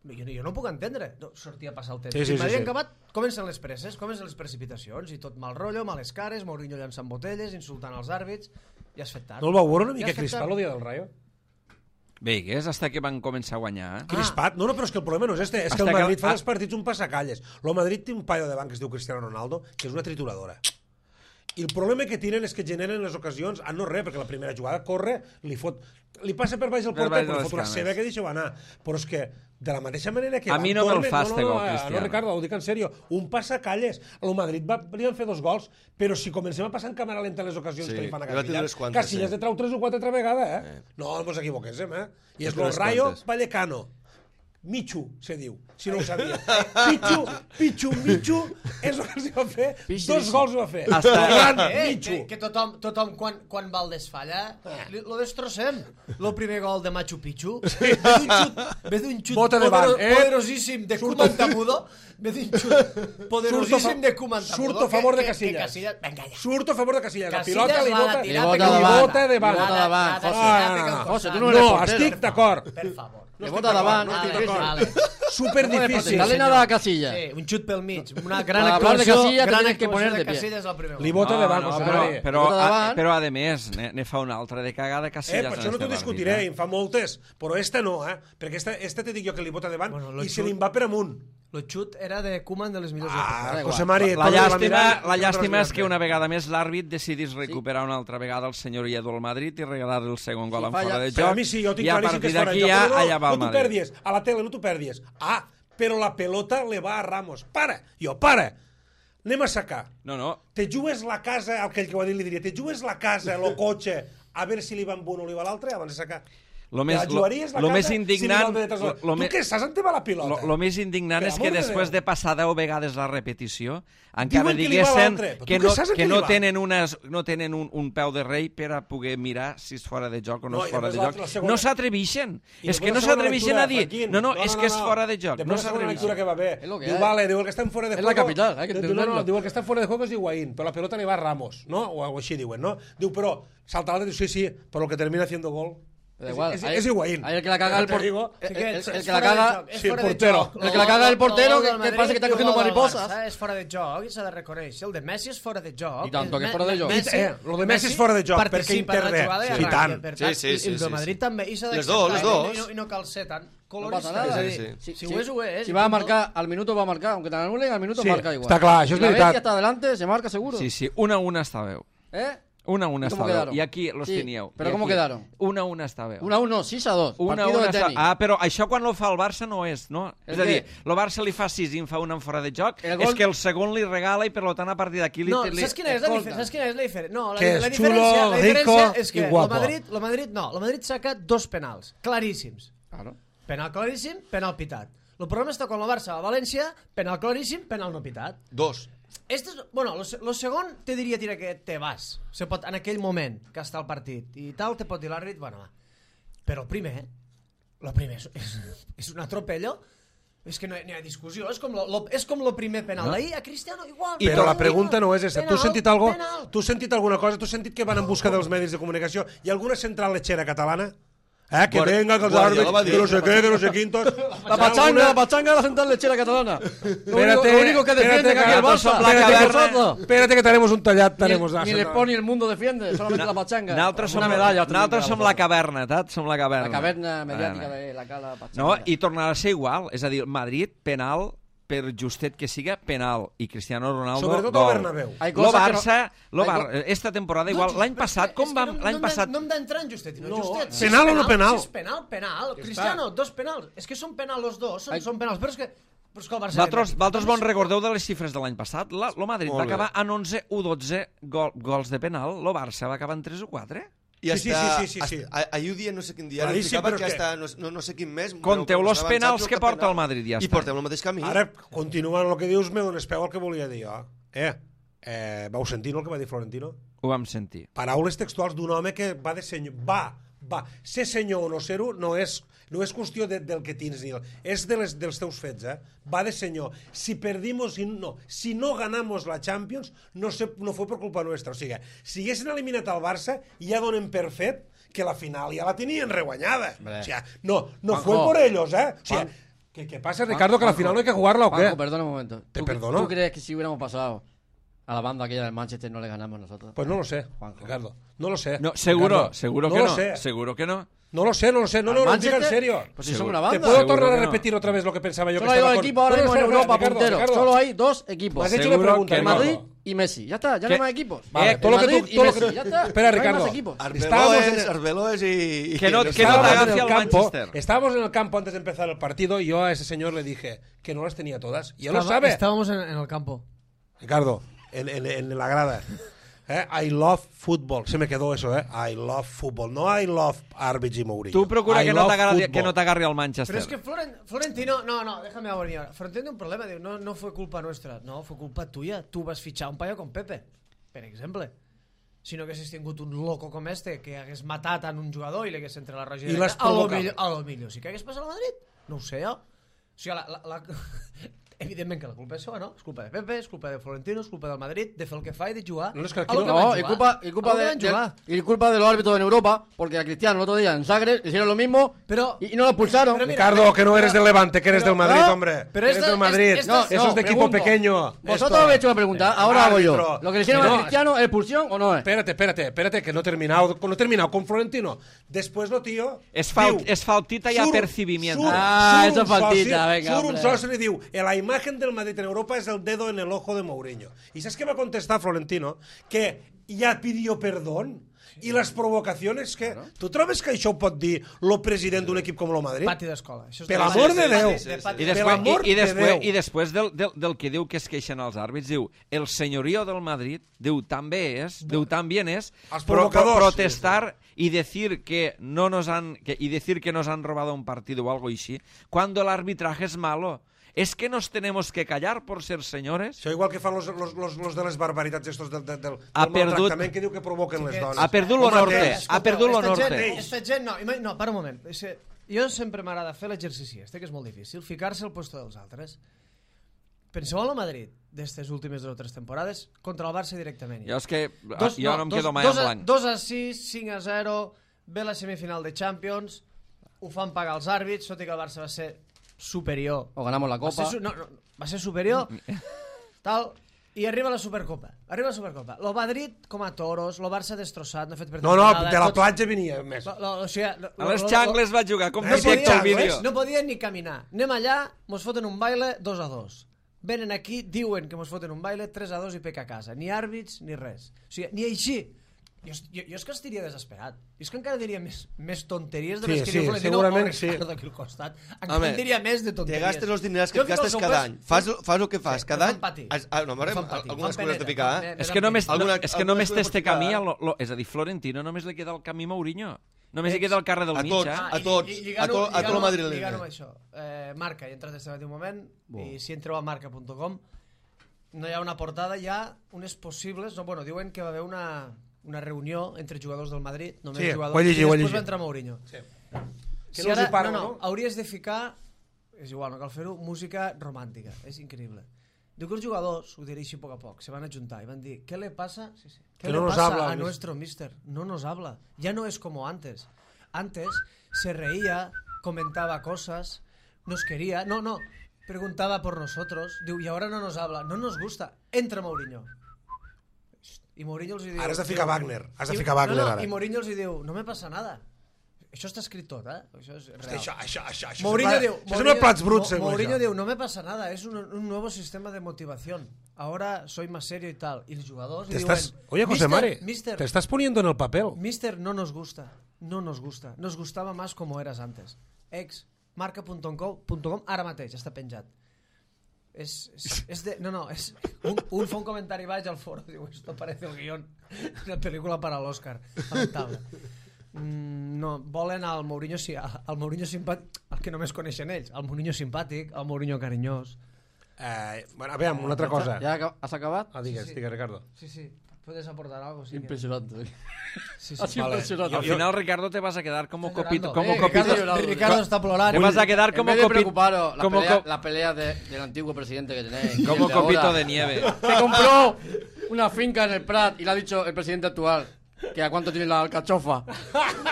jo, jo no ho puc entendre, no, sortir a passar el temps. Sí, sí, I sí, Madrid sí. acabat, comencen les presses, comencen les precipitacions, i tot mal rotllo, males cares, Mourinho llançant botelles, insultant els àrbits, ja has fet tard. No el vau veure una Ja mica has fet crispat tard. el dia del Rayo? Bé, que és hasta que van començar a guanyar, eh? Crispat? No, no, però és que el problema no és este, és que Hasta el que- Madrid fa ah. dels partits un passacalles. El Madrid té un paio davant que es diu Cristiano Ronaldo, que és una trituradora. I el problema que tenen és que generen les ocasions a no res, perquè la primera jugada corre, li fot... Li passa per baix el Per porter, baix de però les fot una cames. seva que deixa anar. Però és que, de la mateixa manera que... A van, mi no me'l tornen- fa este no, no, gol, no, Cristiano. No, Ricardo, ho dic en sèrio. Un passacalles. El Madrid va, li van fer dos gols, però si comencem a passar en càmera lenta les ocasions Sí, que li fan a li va tindre Casillas, unes quantes, Casillas sí. de trau tres o quatre altra vegada, eh? No, no ens equivoquéssim, eh? I és Unes el Rayo quantes. Vallecano. Michu, se diu, si no ho sabia. Pichu, Pichu, Michu, és el que els va fer. Pichu, Dos Pichu. gols va fer. Hasta- El gran Eh, Michu. que, que tothom, tothom quan, quan Valdés falla, li- lo destrossem. El primer gol de Machu Picchu, ve d'un xut, ve d'un xut Bota de banc, eh? poderosíssim de Koeman Tamudo, ve d'un xut poderosíssim de Koeman Tamudo. Surto a favor de que- que- Casillas. que Casillas, venga ja. Surto a favor de Casillas. La Casillas pilota li l'ha de bota, tirar li perquè bota li davant, bota de li banc. bota davant, L'ha de José. tirar Ah, perquè no, el no. José, tu costat. no eres No, portero. estic d'acord. Per favor. No Le estic bota d'acord, davant, no ah, estic d'acord. vale. Super difícil. Dale nada a Casilla. Sí, un xut pel mig, una gran Para hablar de actuació, Casillas te gran tienes que actuació poner de pie. Casillas al primer Li gol. bota de banc, no, José però, Mari. però, Bota a, davant. però a més, ne, ne fa una altra de cagada Eh, Casillas. per en això no este t'ho partit, discutiré, eh? en fa moltes, però esta no, eh? Perquè esta, esta te dic jo que li bota davant Bueno, lo i se xut- li va per amunt. El xut era de Koeman de les millors Ah, èpoques. José Mari, La torna a llàstima, mirar, la llàstima és torna a que mirar. una vegada més l'àrbit decidís recuperar una altra vegada el senyor Iedo al Madrid i regalar-li el segon gol Si en falla- fora de Però joc. a mi sí, jo tinc I a claríssim que partir és fora de d'aquí joc. ja No, no, allà va el no t'ho Madrid. perdies, a la tele no t'ho perdies. Ah, però la pelota le va a Ramos. Para, jo, para. Anem a sacar. No, no, Te jugues la casa, aquell que ho ha dit li diria, te jugues la casa, el cotxe, a veure si li va amb un o li va l'altre abans de sacar. lo més, La lo, jugaries la lo casa més si li indignant... va el de tres Lo, hores? lo, Tu me- què saps on te va la lo, pilota? lo més indignant Per és que amor de després Déu. de passar deu vegades la repetició encara Diuen que li va diguessen l'altre, però que tu no, què saps en que què no li va? tenen, unes, no tenen un, un peu de rei per a poder mirar si és fora de joc o no, No, és i fora de després joc. la- la segona- No s'atreveixen. I És que després no la segona s'atreveixen lectura, a dir Joaquín, no, no, és que és fora de joc. Després No la segona lectura s'atreveixen. que va bé. Es lo que Diu, hay. vale, diu, el que està en fora de Es juego... la capital, hay que diu, no, no, entenderlo. diu, el que està en fora de juego és Higuaín, però la pelota li va a Ramos, no? O, o així diuen, no? Diu, però salta l'altre, diu, sí, sí, però el que termina haciendo gol Da igual. es, ahí- es Higuaín. ahí el que la caga el Te digo, portero. El, Sí que el- és- el és que la fora de caga. joc, és sí, fora el de portero. joc. El que la caga el portero, gol que- del que parece que está Madrid i el cogiendo gol del mariposas. Barça És fora de joc i s'ha de reconèixer. El de Messi és fora de joc. I tanto que és Me- fora de joc. Messi- Eh, lo de Messi és fora de joc, perquè participa en la intervé. jugada i Sí, arranca, tant. per Sí, tant, sí, i- sí, I el sí, de Madrid sí. també. I s'ha Les d'acceptar, dos, les i dos. no- I no cal ser tan No colorista. pasa nada. és a Sí, dir, sí. Si ho és, ho és. Si i va a punto. marcar, al minuto va a marcar. Aunque te anulen, al minuto Sí, marca igual. està clar, això és Si la veritat. bestia está adelante, se marca seguro. Sí, sí, una a una està bé. ¿Eh? Una a una ¿Y cómo està bé. quedaron? I aquí los Sí, teníeu. pero I ¿cómo aquí. quedaron? Una a una està bé. Una a uno, sis a dos. Una, Partido una de està... tenis. Ah, però això quan lo fa el Barça no és, no? El És a dir, què? el Barça li fa sis i en fa una en fora de joc, El gol- és que el segon li regala i per tant a partir d'aquí li... No, li... saps quina és la Escolta. diferència? Saps quina és la diferència? No, la, Que és la xulo, diferència, la rico diferència és i que el guapo. Madrid, el Madrid no, el Madrid saca dos penals claríssims. Claro. Penal claríssim, penal pitat. El problema està quan el Barça a València, penal claríssim, penal no pitat. Dos. Este és, bueno, lo, se- lo segon te diria tira que te vas. Se pot, en aquell moment que està el partit i tal, te pot dir l'àrbit, bueno, va. Però el primer, el primer és, és, és un atropello. És que no hi, no hi ha discussió, és com lo, lo, és com lo primer penal. No. D'ahir a Cristiano igual. Però penal, la pregunta no és aquesta. Tu penal, has sentit algo? penal. Tu has sentit alguna cosa? Tu has sentit que van en busca dels medis de comunicació? Hi ha alguna central lechera catalana? Eh, que Bueno, venga, que els Guardiola va àrbits, dir- que no sé què, que no sé quin, tots... La pachanga, la pachanga de la central lechera catalana. Lo único, Espérate, lo único que defiende espérate, aquí el que Barça. nosotros la Espérate, caverna- vosotros. Espérate que tenemos un tallat, Ni, tenemos... ni el Sport ni el mundo defiende, solamente la pachanga. Nosaltres som, Una medalla. nosaltres som la caverna, tat? Som la caverna. La caverna mediàtica Caverna. de la cala pachanga. No, i tornarà a ser igual. És a dir, Madrid, penal, per justet que siga, penal. I Cristiano Ronaldo, Sobretot gol. al Bernabéu. Hay Lo cosas que Barça, lo Hay Bar... esta temporada igual. No, L'any però passat, és com que vam... no- no L'any hem de- passat... No hem d'entrar en Justet, no, No, Justet. Si penal és o no penal? Si és penal, penal. Ja Cristiano, està. dos penals. És que són penals els dos, són, Ai. són penals. Però és que, però és que el Barça... Vosaltres, vosaltres bon recordeu de les xifres de l'any passat? La, lo Madrid Molt va bé. acabar en onze o dotze gol, gols de penal. Lo Barça va acabar en tres o quatre. I Sí, sí, hasta, sí, sí, sí, sí. hasta, ahir un dia no sé quin dia Claríssim, explicava però que és que- hasta no, no, no sé quin mes... Conteu però los avançats penals el que porta penal. el Madrid, ja I està. portem el mateix camí. Ara, continuant el que dius, me dones peu al que volia dir jo. Eh, eh vau sentir no, el que va dir Florentino? Ho vam sentir. Paraules textuals d'un home que va de senyor... Va, va. Ser senyor o no ser-ho no és, no és qüestió de, del que tens, ni el, és de les, dels teus fets, eh? Va de senyor. Si perdimos, si no, si no ganamos la Champions, no, se, no fue por culpa nuestra. O sigui, si haguessin eliminat el Barça, ja donen per fet que la final ja la tenien reguanyada. O sigui, no, no Juanjo. fue por ellos, eh? O sigui, Juan- ¿qué, ¿Qué pasa, Ricardo? Que la Juanjo. final no hay que jugarla o qué? Juanjo, perdona un momento. Te ¿Tú, perdono. ¿Tú crees que si hubiéramos pasado a la banda aquella del Manchester no le ganamos nosotros? Pues no lo sé, Juanjo. Ricardo. No lo sé. No, seguro, Ricardo. seguro no que lo no. sé. Seguro que no. No lo sé, no lo sé. No, no, no, lo diga en serio. Pues si Seguro. son una ¿Te banda. puedo Seguro tornar que a no. repetir otra vez lo que pensaba yo? Solo que hay estaba dos con- equipos ahora No, no, mismo en espera, Europa, Ricardo, punteros. Ricardo. Solo hay dos equipos. Me has hecho Seguro una pregunta, que El no. Madrid y Messi. Ya está, ya no ¿Qué? hay más equipos. Vale, Eh, todo lo que Madrid tú, y todo lo Messi, que... ya está. Espera, No hay Ricardo. más equipos. Estábamos Arbeloes, en- Arbeloes y... Que no- y los que no Estábamos te en agafi el al campo, Manchester. estábamos en el campo antes de empezar el partido y yo a ese señor le dije que no las tenía todas. Y él lo Estaba- sabe. Estábamos en, en el campo. Ricardo, en, en, en la grada. Eh, I love football. Se me quedó eso, ¿eh? I love football. No I love árbitros y Mourinho. Tu procura I que no love t'agarri football. que no t'agarri al Manchester. Pero es que Floren- Florentino, no, no, déjame a venir ahora. Florentino tiene un problema, diu, no, no fue culpa nuestra, no, fue culpa tuya. Tú vas fichar un paio com Pepe, per exemple. Si no haguessis tingut un loco com este que hagués matat en un jugador i li hagués entre la roja I l'has a lo provocat. millor, a lo millor sí que hagués passat al Madrid. No ho sé jo. O sigui, la, la, la... evidentment que la culpa és seva, no? És culpa de Pepe, és culpa de Florentino, és culpa del Madrid, de fer el que fa i de jugar. No, és que aquí a lo no- que van No, y jugar. culpa, y culpa A lo que de, van de- jugar. y culpa de los árbitros en Europa, porque a Cristiano el otro día en Zagreb le hicieron lo mismo Pero- y, y no lo expulsaron. pero mira, Ricardo, que no eres pero- del Levante, que eres pero- del Madrid, no, hombre. pero eres esta- del Madrid. esta- No, Eso es de equipo pregunto. pequeño. Vosotros Esto. habéis hecho una pregunta, ahora hago yo. Árbitro. Lo que le hicieron No, a Cristiano, ¿es expulsión o no es? Espérate, espérate, espérate, que no he terminado, no he terminado con Florentino. Después lo tío... És, fal, diu, és faltita i surt- apercibimiento. surt- Ah, surt eso un es faltita, soci- venga, surt un hombre. soci i diu, la imagen del Madrid en Europa es el dedo en el ojo de Mourinho. ¿Y sabes qué va a contestar Florentino? Que ya pidió perdón. I les provocacions que... Tu trobes que això ho pot dir el president d'un equip com el Madrid? Pati d'escola. Això és Per de- l'amor de sí, sí, Déu. sí, sí, sí. I pati- Per després, l'amor i, i, de després, Déu. i després del, del, del que diu que es queixen els àrbits, diu el senyorio del Madrid, diu també és, diu también es Els pro, pro, provocadors. protestar y decir que no nos han que, y decir que nos han robado un partido o algo así, cuando el arbitraje es malo. ¿Es que nos tenemos que callar por ser señores? Això igual que fan los, los, los, los de les barbaritats estos del, del, del, Ha del perdut- maltractament que diu que provoquen les dones. Ha perdut lo El norte, mateix. ha perdut lo Esta norte. gent- Esta gent, no, ima- no, para un moment. És que jo sempre m'agrada fer l'exercici este, que és molt difícil, ficar-se al puesto dels altres. Penseu en el Madrid d'estes últimes dues o tres temporades contra el Barça directament. Jo és que Dos- jo no, em dos- quedo mai dos en a- blanc. dos a sis, cinc a zero, ve la semifinal de Champions, ho fan pagar els àrbits, tot i que el Barça va ser superior. O ganamos la Va ser, Copa. su- no, no, va ser superior, tal, i arriba la Supercopa. Arriba la Supercopa. Lo Madrid com a toros, lo Barça destrossat, no ha fet per No, no, nada, de la tots- platja venia més. Lo, lo, o sigui, lo, A les lo- xangles va jugar, com No directe podia, al vídeo. no podien ni caminar. Anem allà, mos foten un baile dos a dos. Venen aquí, diuen que mos foten un baile tres a dos i peca a casa. Ni àrbits ni res. O sigui, ni així. Jo, jo, jo és que estaria desesperat. Jo és que encara diria més, més tonteries de Sí, les que sí, diu Florentino segurament o sí. Ricardo aquí al costat. Encara Home, en diria més de Te tonteries. gastes els diners que Jo et fico al gastes seu cada pes- any. Fas, fas el que fas Sí, cada em any. fan patir. Has- Ah, no, Em veurem fan patir, algunes em fan coses de peneta, picar, em eh? fan- És que només, Alguna- és que alguna només cosa té este per camí, ficar. a lo, lo, és a dir, Florentino només li queda el camí Mourinho. Només li queda el carrer del A mig, tots. eh? a tots, a to- a tot el madrileny. Lligant-ho amb això. Eh, marca, hi he entrat este matí un moment, i si entreu a marca punt com, no hi ha una portada, hi ha unes possibles... No, bueno, diuen que va haver una, una reunió entre jugadors del Madrid, només Sí, jugadors, ho he llegit, i ho he després llegit. va entrar Mourinho. Sí. Si Que no els hi parla, no, no? no, hauries de ficar, és igual, no cal fer-ho, música romàntica, és increïble. Diu que els jugadors, ho diré així a poc a poc, se van ajuntar i van dir, ¿qué le pasa? Sí, sí. ¿Qué Que le no nos pasa habla, a mister. nuestro mister? No nos habla. Ya no es como antes. antes se reía, comentaba cosas, nos quería, no, no, preguntaba por nosotros, diu, y ahora no nos habla, no nos gusta, entra Mourinho. I Mourinho els hi diu... Ara has de ficar Wagner, has de i, ficar Wagner no, no, ara. I Mourinho els hi diu, no me passa nada. Això està escrit tot, eh? Això és real. Hosti, això, això, això, això Mourinho sembla, diu, això sembla plats bruts, Mo, sembla Mourinho això. diu, no me pasa nada, es un, un nuevo sistema de motivación. Ahora soy más serio y tal. Y los jugadores Te diuen, estás, oye, José mister, Mari, mister, te estás poniendo en el papel. mister, no nos gusta, no nos gusta. Nos gustaba más como eras antes. Ex, marca punto com, ara mateix, està penjat. És, és, és de, no, no, és, un, un fa un comentari baix al foro, diu, esto parece el guión una pel·lícula para l'Oscar. Lamentable. Mm, no, volen al Mourinho, al Mourinho simpàtic, el que només coneixen ells, el Mourinho simpàtic, el Mourinho carinyós. Eh, bueno, aviam, una altra cosa. ¿Ya has acabado? Ah, digues, Sí, sí. digues, Ricardo. Sí, sí, puedes aportar algo. Sí Impresionante. Que... Sí, sí. Ha sido Vale. impresionante. Al final, Ricardo, te vas a quedar como Está copito. llorando. Como Eh, copito. Ricardo, llorando. Ricardo está plorant. Te vas a quedar En como vez de copito. preocuparos, la como pelea, co- la pelea de- del antiguo presidente que tenéis. y Como el de copito ahora, de nieve. que compró una finca en el Prat y le ha dicho el presidente actual que a cuánto tiene la alcachofa.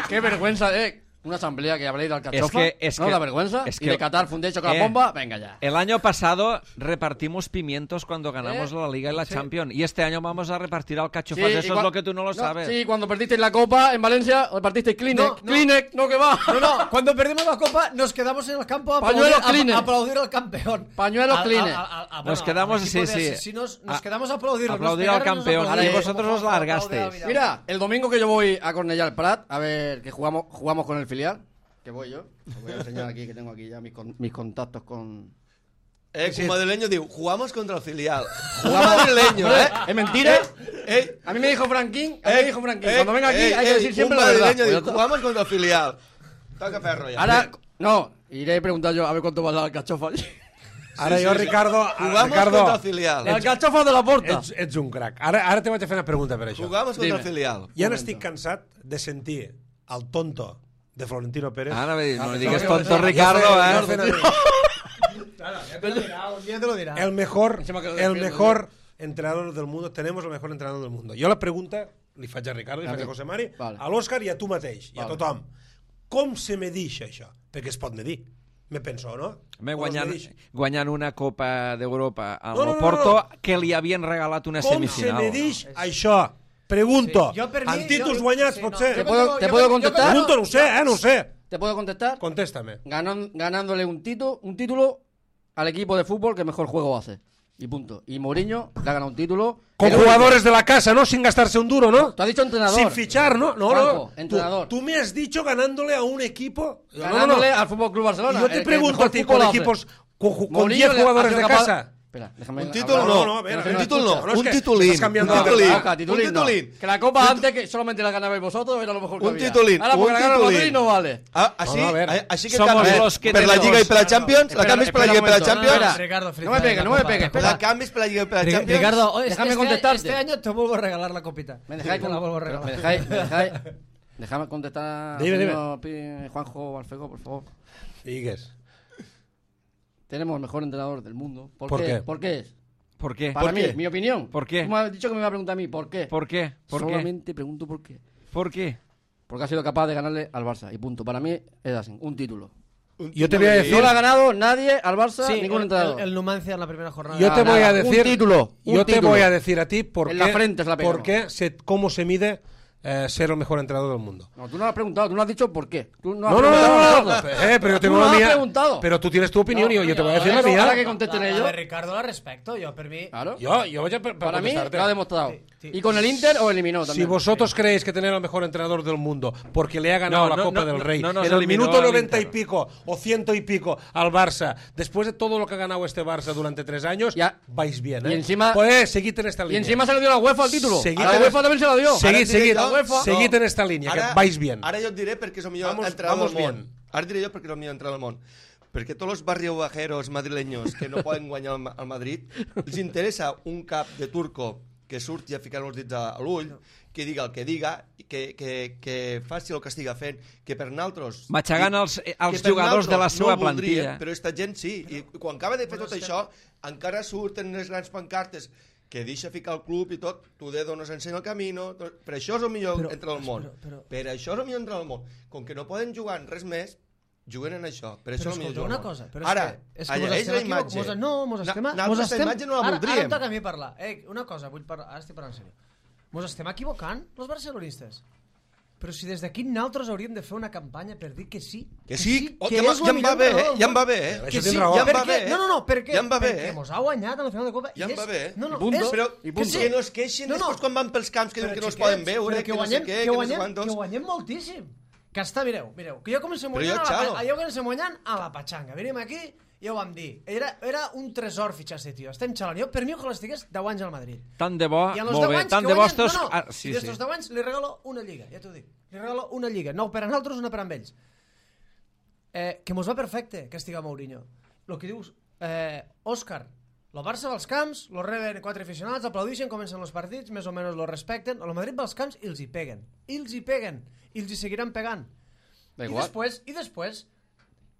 Qué vergüenza, eh. Una asamblea que habléis de alcachofa. Es que- es ¿No? que- La vergüenza. es y que- de Qatar Foundation con eh, la bomba. Venga ya. El año pasado repartimos pimientos cuando ganamos ¿Eh? la Liga y la Sí. Champions. Y este año vamos a repartir alcachofas. Sí, y Eso cua- es lo que tú no lo No, sabes. Sí, cuando perdisteis la Copa en Valencia, repartisteis Kleenex. No, no. Kleenex, no que va. No, no, cuando perdimos la copa nos quedamos en el campo a aplaudir, Pañuelos a, Kleenex. a aplaudir al campeón. Pañuelos A- a- Kleenex. a- a- a- Nos bueno, quedamos, al equipo sí, de sí. asesinos, nos A- quedamos a aplaudirlo. aplaudir nos al pegaron, nos campeón. aplaudieron. Y vosotros Como- os como largasteis. aplaudir a Vidal. Mira, el domingo que yo voy a Cornellà al Prat, a ver que jugamos, jugamos con el filial, que voy yo. Os voy a enseñar aquí que tengo aquí ya mis, con- mis contactos con... Eh, un madrileño diu, jugamos contra el filial. Jugamos madrileño, Hombre, eh. ¿es mentira? Eh, A mí me dijo Franquín, a mí eh, me dijo Franquín, eh, cuando venga aquí eh, hay que eh, decir siempre un la verdad. madrileño Pues ya diu, está. jugamos contra el filial. Toca ferro ja. Ahora, no, iré a preguntar yo a ver cuánto va la alcachofa allí. Ara Sí, jo, sí, sí. Ricardo, ara, Jugamos Ricardo, contra el filial. La alcachofa de la porta. ets, ets un crac. Ara, ara te vaig a fer una pregunta per això. Jugamos contra Dime. el filial. Ja n'estic cansat de sentir el tonto de Florentino Pérez. Ahora me, no me Ah, digas no, tonto, no, no, Ricardo. Ja eh. fent- ja fent- Ya te lo dirá, un día te lo dirá. El mejor, Encima que lo el defiendo, mejor entrenador del mundo. Tenemos el mejor entrenador del mundo. Jo la pregunta li faig a Ricardo, li A faig a mi. José Mari, Vale. a l'Òscar i a tu mateix, i a Vale. tothom. Com se medix això? Perquè es pot medir. Me penso, no? Me Com es guanyant, medix? guanyant una Copa d'Europa amb No, no, el no, Porto no. que li havien regalat una Com se semifinal. medix això? Pregunto. Sí, jo per mi- En títols jo- guanyats, sí, potser? no, ¿Te jo puedo, tengo- te yo puedo tengo- yo contestar? Pregunto, no ho sé, eh? No ho sé. ¿Te puedo contestar? Contéstame. Ganan- ganándole un, tito, un título al equipo de fútbol que mejor juego hace. Y punto. Y Mourinho le ha ganado un título. Con El único. jugadores de la casa, ¿no? Sin gastarse un duro, ¿no? Tú has dicho entrenador. Sin fichar, ¿no? No, Franco, no. entrenador. Tú, tú me has dicho ganándole a un equipo. No, no, no. Ganándole al Fútbol Club Y Barcelona. yo el te que pregunto mejor a ti, fútbol con hace. equipos, con, ju- con Mourinho diez le ha jugadores sido de capaz- casa. Espera, déjame Un título hablar. no, no, no, a ver, a un ver, título escucha, no, no, es un que titulín. estás cambiando un algo. titulín. Boca, titulín, un no. titulín. Que la copa antes que solamente la ganabais vosotros era lo mejor que Un había. titulín, Ahora un porque la gana el titulín. Madrid no vale. Ah, així, No, no, a veure. a- així que Somos canvis los que per la tenemos- Lliga i per la Champions, la Espera, canvis per la espera Lliga i un per la momento. Champions, Espera. Ricardo, No me pegues, no me pegues, espera. la canvis per la Lliga i per la Ri- Champions. Ricardo, este, Déjame este- contestarte. este año te vuelvo a regalar la copita. ¿Me dejáis Te la con- vuelvo a pero regalar. ¿Me dejáis? ¿Me dejáis? Déjame contestar, Dime, dime. señor Pi- Juanjo Alfego, por favor. Digues. Tenemos el mejor entrenador del mundo. ¿Por, ¿Por qué? qué? ¿Por qué es? ¿Por qué? Para ¿Por mí, qué? mi opinión. ¿Por qué? Tú me has dicho que me iba a preguntar a mí, ¿por qué? ¿Por qué? ¿Por qué? Solamente pregunto por qué. ¿Por qué? Porque ha sido capaz de ganarle al Barça. Y punto. Para mí es así, un título. Yo te voy a decir... No lo ha ganado nadie al Barça, Sí, ningún el, entrenador. el, el Numancia en la primera jornada. Yo te Nada, voy a nada. decir... Un título, un yo te título. voy a decir a ti por En qué, la frente se la pegó. por qué se, cómo se mide eh, ser el mejor entrenador del mundo. No, tú no lo has preguntado, tú no has dicho por qué. Tú no has No, no, no, preguntado a no, no, nosotros. eh, pero yo tengo Tú no la has mía. preguntado. Pero tú tienes tu opinión y yo, yo te voy a decir la Ahora que- mía. ahora que contesten La, la ellos. de Ricardo la respecto, yo per mi. Claro. Yo, yo voy a per- Para mí contestarte. lo ha demostrado. Sí, sí. Y con el Inter o eliminó Si también. vosotros creéis que tener al mejor entrenador del mundo porque le ha ganado No, la no, Copa no, del no, Rey no nos en el eliminó minuto al noventa y Inter. pico o ciento y pico al Barça, después de todo lo que ha ganado este Barça durante tres años, Ya. vais bien, ¿eh? Y encima- Pues seguid en esta Y línea. encima se le dio la UEFA al título. Seguid A la en- UEFA también se la dio. Seguid, Ara et diré seguid, jo- UEFA. seguid No. en esta línea, Ara- que vais bien. Ara jo et diré perquè és el millor Vamos- entrenador vamos del món. bien. Ara et diré jo perquè és el millor entrenador del món. Perquè tots els barriobajeros madrileños que no poden guanyar al al Madrid els interessa un cap de turco que surti a ficar els dits a a l'ull, que diga el que diga, i que, que, que faci el que estiga fent, que per naltros... Matxegant els, que els per jugadors de la naltros seva no ho voldríem, plantilla. Però esta gent sí. I quan acaba de fer tot això, encara surten les grans pancartes que deixa ficar el club i tot, tu dedo nos ensenya el camí, per això és el millor Però- entre el món. però- però- Per això és el millor entre el món. Com que no poden jugar en res més, juguen en això. Per això Però és el millor escolta, jugar una al món. cosa, però Ara, és que, és que mos llegeix estem la equivoc- imatge. mos- no, mos Na- estem... nosaltres mos la estem imatge no la ara, ara voldríem. em toca a mi parlar. Eh, una cosa, vull parlar, ara estic parlant en sèrio. Mos estem equivocant, els barcelonistes. Però si des d'aquí nosaltres hauríem de fer una campanya per dir que sí. Que sí, oh, que ja, és ja la em millor va bé, entrenador eh? del Ja em món. va bé, eh? Això Que tens sí, raó. Ja em va perquè, bé, eh? no, no, no, perquè, Ja em va bé, perquè eh? mos ha guanyat a la final de Copa. Ja i em va és- bé. No, no, I punto. és- Però I que punto. sí. que no es queixin No, no. després quan van pels camps que diuen Però, que no es xiquets, poden veure, però que no guanyem, sé què, que que no sé guanyem, quantos. que guanyem moltíssim. Que està, mireu, mireu, que jo comencem Però guanyant, jo, a la, xalo. pa- jo comencem guanyant a la patxanga. Venim aquí, ja ho vam dir. Era, era un tresor fitxar este tio. Estem xalant. Jo, per mi, ojalà estigués deu anys al Madrid. Tant de bo, I a los molt deu bé, anys tant que de bo guanyen... estos... No, no, Ah, i sí, sí. d'estos deu anys li regalo una lliga, ja t'ho dic. Li regalo una lliga. Nou per a nosaltres, una per a ells. Eh, que mos va perfecte que estiga Mourinho. Lo que dius, eh, Òscar, lo Barça va als camps, lo reben quatre aficionats, aplaudixen, comencen els partits, més o menys lo respecten. El Madrid va als camps i els hi peguen. I els hi peguen. I els hi seguiran pegant. Da I igual. després, i després,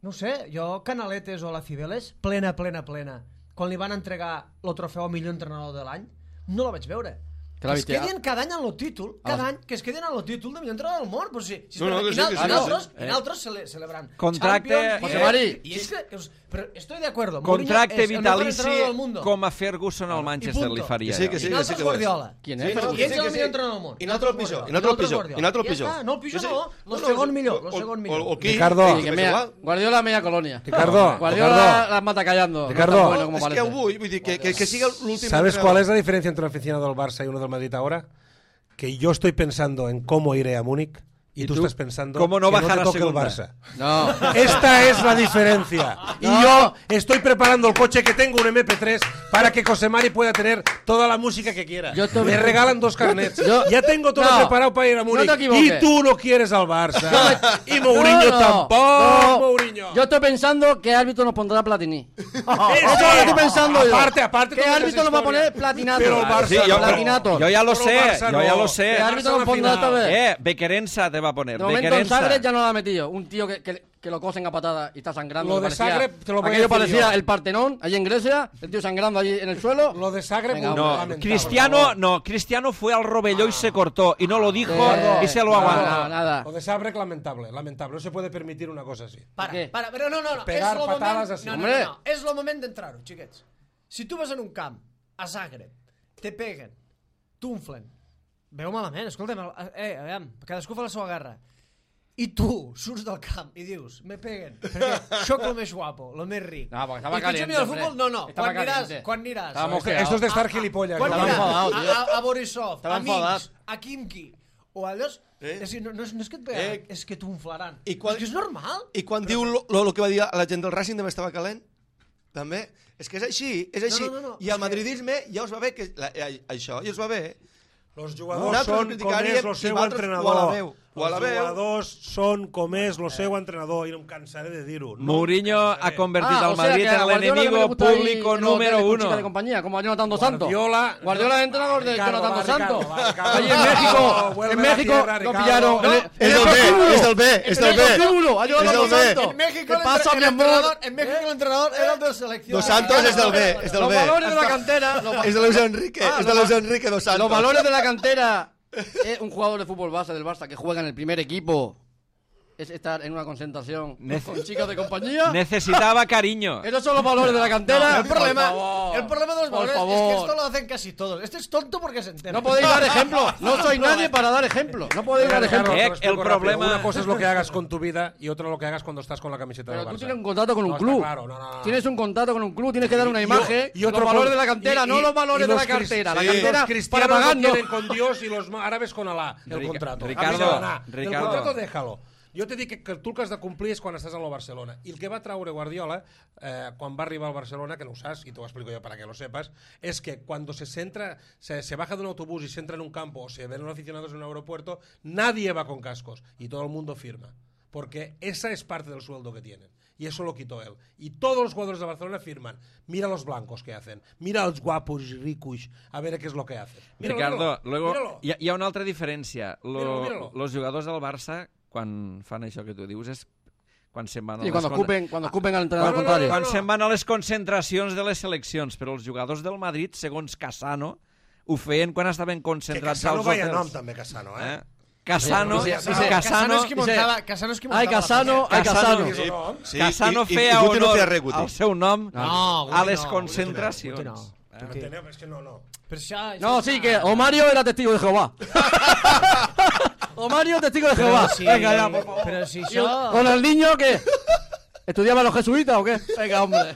no ho sé, jo Canaletes o la Cibeles, plena, plena, plena, quan li van entregar el trofeu a millor entrenador de l'any, no la vaig veure. Que Que la es viste, quedin cada any en el títol, Ah. cada any, que es quedin en el títol de millor entrenador del món. Però si, si No, no, que i sí, que sí, i que nosaltres, sí. i nosaltres cele, celebrant Contracte- Champions, José Liga, Mari. i és que, que us, però estoy de acuerdo. Contracte Mourinho és el mejor vitalici entrenador del mundo. com a Ferguson al Manchester punto. li faria. Que sí, que sí, I que nosaltres sí que ho és. Guardiola. ¿Quién Sí, es? no, Ferguson? I ets sí, el que millor sí. entrenador del món. I nosaltres el pitjor, i nosaltres el pitjor, Guardiola. i nosaltres el Ja pitjor. està, no, el pitjor Sí, sí. no, No, el no, segon sí, millor, o- el segon o- millor. o qui? Ricardo. Sí, que m'és mea- igual. Guardiola media colonia. Ricardo, Guardiola Ricardo. las mata callando. Ricardo. No está bueno como És que parece. ho vull, vull dir, que, que, que siga l'últim ¿Sabes entrenador. cuál es la diferencia entre un aficionado del Barça y uno del Madrid ahora? Que yo estoy pensando en cómo iré a Múnich y, ¿Y tú, tú estás pensando cómo no que bajar no a te toque el segunda? Barça. No. Esta es la diferencia. Y No. yo estoy preparando el coche que tengo, un eme pe tres, para que José Mari pueda tener toda la música que quiera. Yo te- Me regalan dos carnets. Yo- Ya tengo todo No. preparado para ir a No Múnich. te equivoques. Y tú no quieres al Barça. Y Mourinho No, no, tampoco, no. Mourinho. Yo estoy pensando qué árbitro nos pondrá Platini. Eso Eso es lo que estoy pensando yo. Aparte, aparte. ¿Qué todas esas árbitro nos va a poner historias. Platinato? Pero el Barça Sí, yo, no. Platinato. yo ya lo Pero sé, Barça yo ya no. lo sé. ¿Qué Barça árbitro a la nos pondrá esta final. vez? Eh, Bequerensa te va a poner. De momento en Bequerensa. Zagreb ya no lo ha metido. Un tío que, que, que lo cosen a patada y está sangrando. Lo que de parecía- Zagreb te lo voy a aquello decir parecía yo. el Partenón, allí en Grecia, el tío sangrando allí en el suelo. Lo de Zagreb, Venga, muy No, lamentable, Cristiano, por favor. no, Cristiano fue al Rovelló y se cortó y no lo dijo Eh, y se lo no, aguantó. no, nada. Lo de Zagreb, lamentable, lamentable. No se puede permitir una cosa así. Para, ¿Qué? para, però no, no, no. Pegar és lo patades moment, así. no, no, Hombre. no, no, és el moment d'entrar-ho, xiquets. Si tu vas en un camp, a Zagreb, te peguen, t'unflen, veu malament, escolta'm, eh, aviam, cadascú fa la seva guerra, i tu surts del camp i dius, me peguen, perquè sóc el més guapo, el més ric. No, porque estaba I tu ets caliente, amic del hombre. futbol, no, no, Estaba quan aniràs, caliente. quan aniràs, Estaba Esto, mosqueado. esto es de estar gilipollas. quan ¿no? Estava aniràs enfadat, a, tio. a, a Borisov, Estava a Minsk, enfadat. a Kimki, o a allò, Eh? és, a dir, no, no, és, no és que et peguen, Eh? és que t'unflaran. I quan- És que és normal. I quan diu lo, lo, lo que va dir la gent del Racing també estava calent, també, és que és així, és així. No, no, no, no, I és el madridisme ja us va bé, que la, eh, això ja us va bé. Los No, jugadors nosaltres són com criticaríem és el i seu vosaltres entrenador. o a la veu, o a la Els veu. jugadors són com és el seu entrenador i no em cansaré de dir-ho. No Mourinho em ha cansaré. convertido Ah, al o sea Madrid que a en el Guardiola enemigo le gusta ir público en los número hoteles con chicas de uno. compañía, como a Jonathan Dos Santos. Guardiola, Guardiola es entrenador de Ricardo, Jonathan va, Dos Santos. Ricardo, va, Ricardo. Allí en México, Vuelve en a la México tierra, lo Ricardo. pillaron. No, en el- es en del el B, prostíbulo. es del B, es del En el B. prostíbulo, a Jonathan Es del Dos B. Santos. En México, ¿Qué el, pasa, el mi amor? entrenador, en México el entrenador era el de selección. Dos Santos és del B, és del Los B. valores de la cantera. los va- És de Luis Enrique, Ah, és de los Luis va- Enrique Dos Santos. Los valores de la cantera. Es un jugador de fútbol base del Barça que juega en el primer equipo. Es estar en una concentración Nece- con chicas de compañía. Necesitaba cariño. Esos son los valores de la cantera. el problema, Por favor. el problema de los Por valores es que favor. esto lo hacen casi todos. Este es tonto porque se entera. No podéis dar ejemplo. No soy nadie para dar ejemplo. No podéis dar Ricardo, ejemplo. te Eh, lo explico el rápido. problema- Una cosa es lo que hagas con tu vida y otra lo que hagas cuando estás con la camiseta Pero del tú Barça. tienes un contrato con un No, está club. claro, no, no, no. Tienes un contrato con un club, tienes que dar una Y- imagen. y- y otro los valores con- de la cantera, y- no y- los valores y de los la cartera. cris- La sí, cantera los para cristianos pagar lo no. tienen con Dios y los árabes con Alá, el Rica- contrato. Ricardo, A mi m'agrada. Ricardo. El contrato déjalo. Jo t'he dit que, que tu el que has de complir és quan estàs a la Barcelona. I el que va traure Guardiola, eh, quan va arribar al Barcelona, que no ho saps, y te lo explico yo para que lo sepas, es que cuando se centra, se, se baja de un autobús y se entra en un campo o se ven los aficionados en un aeropuerto, nadie va con cascos y todo el mundo firma. Porque esa es parte del sueldo que tienen. Y eso lo quitó él. Y todos los jugadores de Barcelona firman. Mira los blancos que hacen. Mira los guapos y ricos. A ver qué es lo que hacen. Míralo, Ricardo, míralo, luego míralo. hi ha, hi ha una altra diferència. Lo, Míralo, míralo. Los jugadors del Barça, quan fan això que tu dius, és quan se'n van a Sí, les quan con- ocupen, quan ocupen al entrenador no, no, contrari. no, quan se'n van a les concentracions de les seleccions, però els jugadors del Madrid, segons Casano, ho feien quan estaven Que concentrats Casano als vaya hotels. nom, també, Casano, eh? Eh? Casano, Sí, sí, sí, Casano, Casano, és qui muntava, Casano és qui muntava Ai, la Casano, penyeta. ai, Casano. És un nom. Sí, Casano i- i- feia i Guti no honor feia res, Guti. al seu nom No, a Guti les no, concentracions. Guti no. Tu m'enteneu? És que no, no. Però això... No, això sí, és que una- Omario era testigo de Jehová. Omario, testigo de Jehová. Però si, Venga, ya, por favor. però si ¿Y això... ¿Con el niño qué? ¿Estudiaba los jesuitas o qué? Venga, hombre.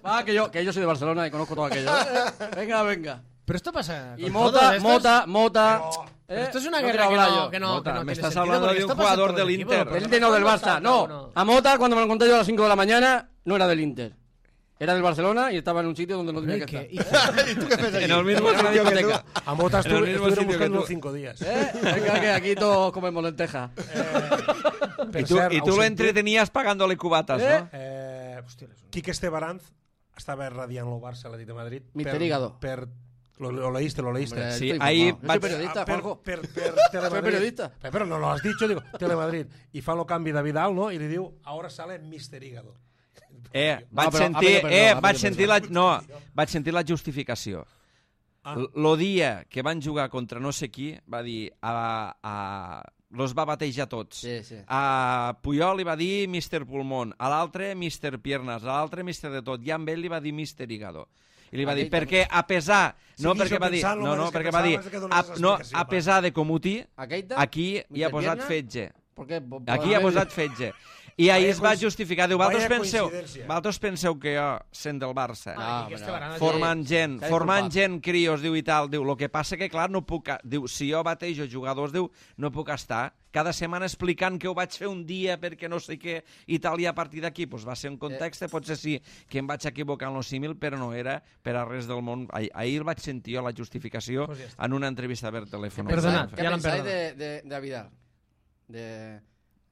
Va, que yo, que yo soy de Barcelona y conozco todo aquello. ¿eh? Venga, venga. Pero esto pasa Y con Mota, todos estos. Mota, Mota. Pero- ¿eh? Esto es una No guerra quiero que hablar no, yo. que no, Mota, que no me tiene estás sentido, hablando porque de un esto pasa en jugador todos los del equipos, Inter. porque Del Inter no, del nosotros Barça. cada No, uno- a Mota cuando me lo conté yo a las cinco de la mañana no era del Inter. Era del Barcelona y estaba en un sitio donde no tenía ¿Y que qué? estar. ¿Y ¿Y tú qué haces aquí? En el mismo Era una sitio que tú. discoteca. A Mota En el estuve, mismo estuvieron sitio que buscando tú. cinco días. ¿Eh? Venga, que aquí todos comemos lentejas. Per I tu, cert, i tu heu lo sentit? entretenies pagant-li cubates, Eh? no? Eh, Quique Estebaranz estava radiant el Barça a l'Atlètic de Madrid. Mister per- Hígado. Per, lo, lo leíste, lo leíste. Hombre, Sí, estoy ahí informado. Yo va- soy periodista, Ah, per, Juanjo. per, per Telemadrid. periodista. Pero, pero no lo has dicho, digo, Telemadrid. I fa el canvi de Vidal, no? I li diu, ahora sale Mister Hígado. Eh, No, vaig però ha sentir, pedido perdó, eh, ha vaig pedido sentir perdó. la, no, vaig sentir la justificació. Ah. L- Lo dia que van jugar contra no sé qui, va dir, a, a, los va batejar tots. Sí, sí. A Puyol li va dir Mister Pulmón, a l'altre Mister Piernas, a l'altre Mister de tot, i amb ell li va dir Mister Hígado. I li va dir, Aquell perquè a pesar... No, Seguixo perquè va dir... pensant lo No, no, mateix que perquè va dir... pensava, és que dones A, esa no, explicació, a va. pesar de comutí, Aqueita, aquí hi ha Mister posat Pierna? fetge. Porque, po- Aquí ha po- posat fetge. I ahir Vaya es va coinci- justificar. Diu, vosaltres vaya penseu, coincidència. vosaltres penseu que jo, sent del Barça, Ah, No, Quique però- Estebaranz. formant gent, s'ha formant disculpat. gent, crios, diu, i tal, diu, el que passa que, clar, no puc... a- Diu, si jo batejo jugadors, diu, no puc estar cada setmana explicant que ho vaig fer un dia perquè no sé què i tal, i a partir d'aquí pues, va ser un context, eh. potser sí que em vaig equivocar en lo símil, però no era per a res del món. Ah- Ahir el vaig sentir jo, la justificació, Pues ja està. en una entrevista per telèfon. Perdonad. ¿Qué Ya lo han pensáis perdonado. de, de, de Vidal? De,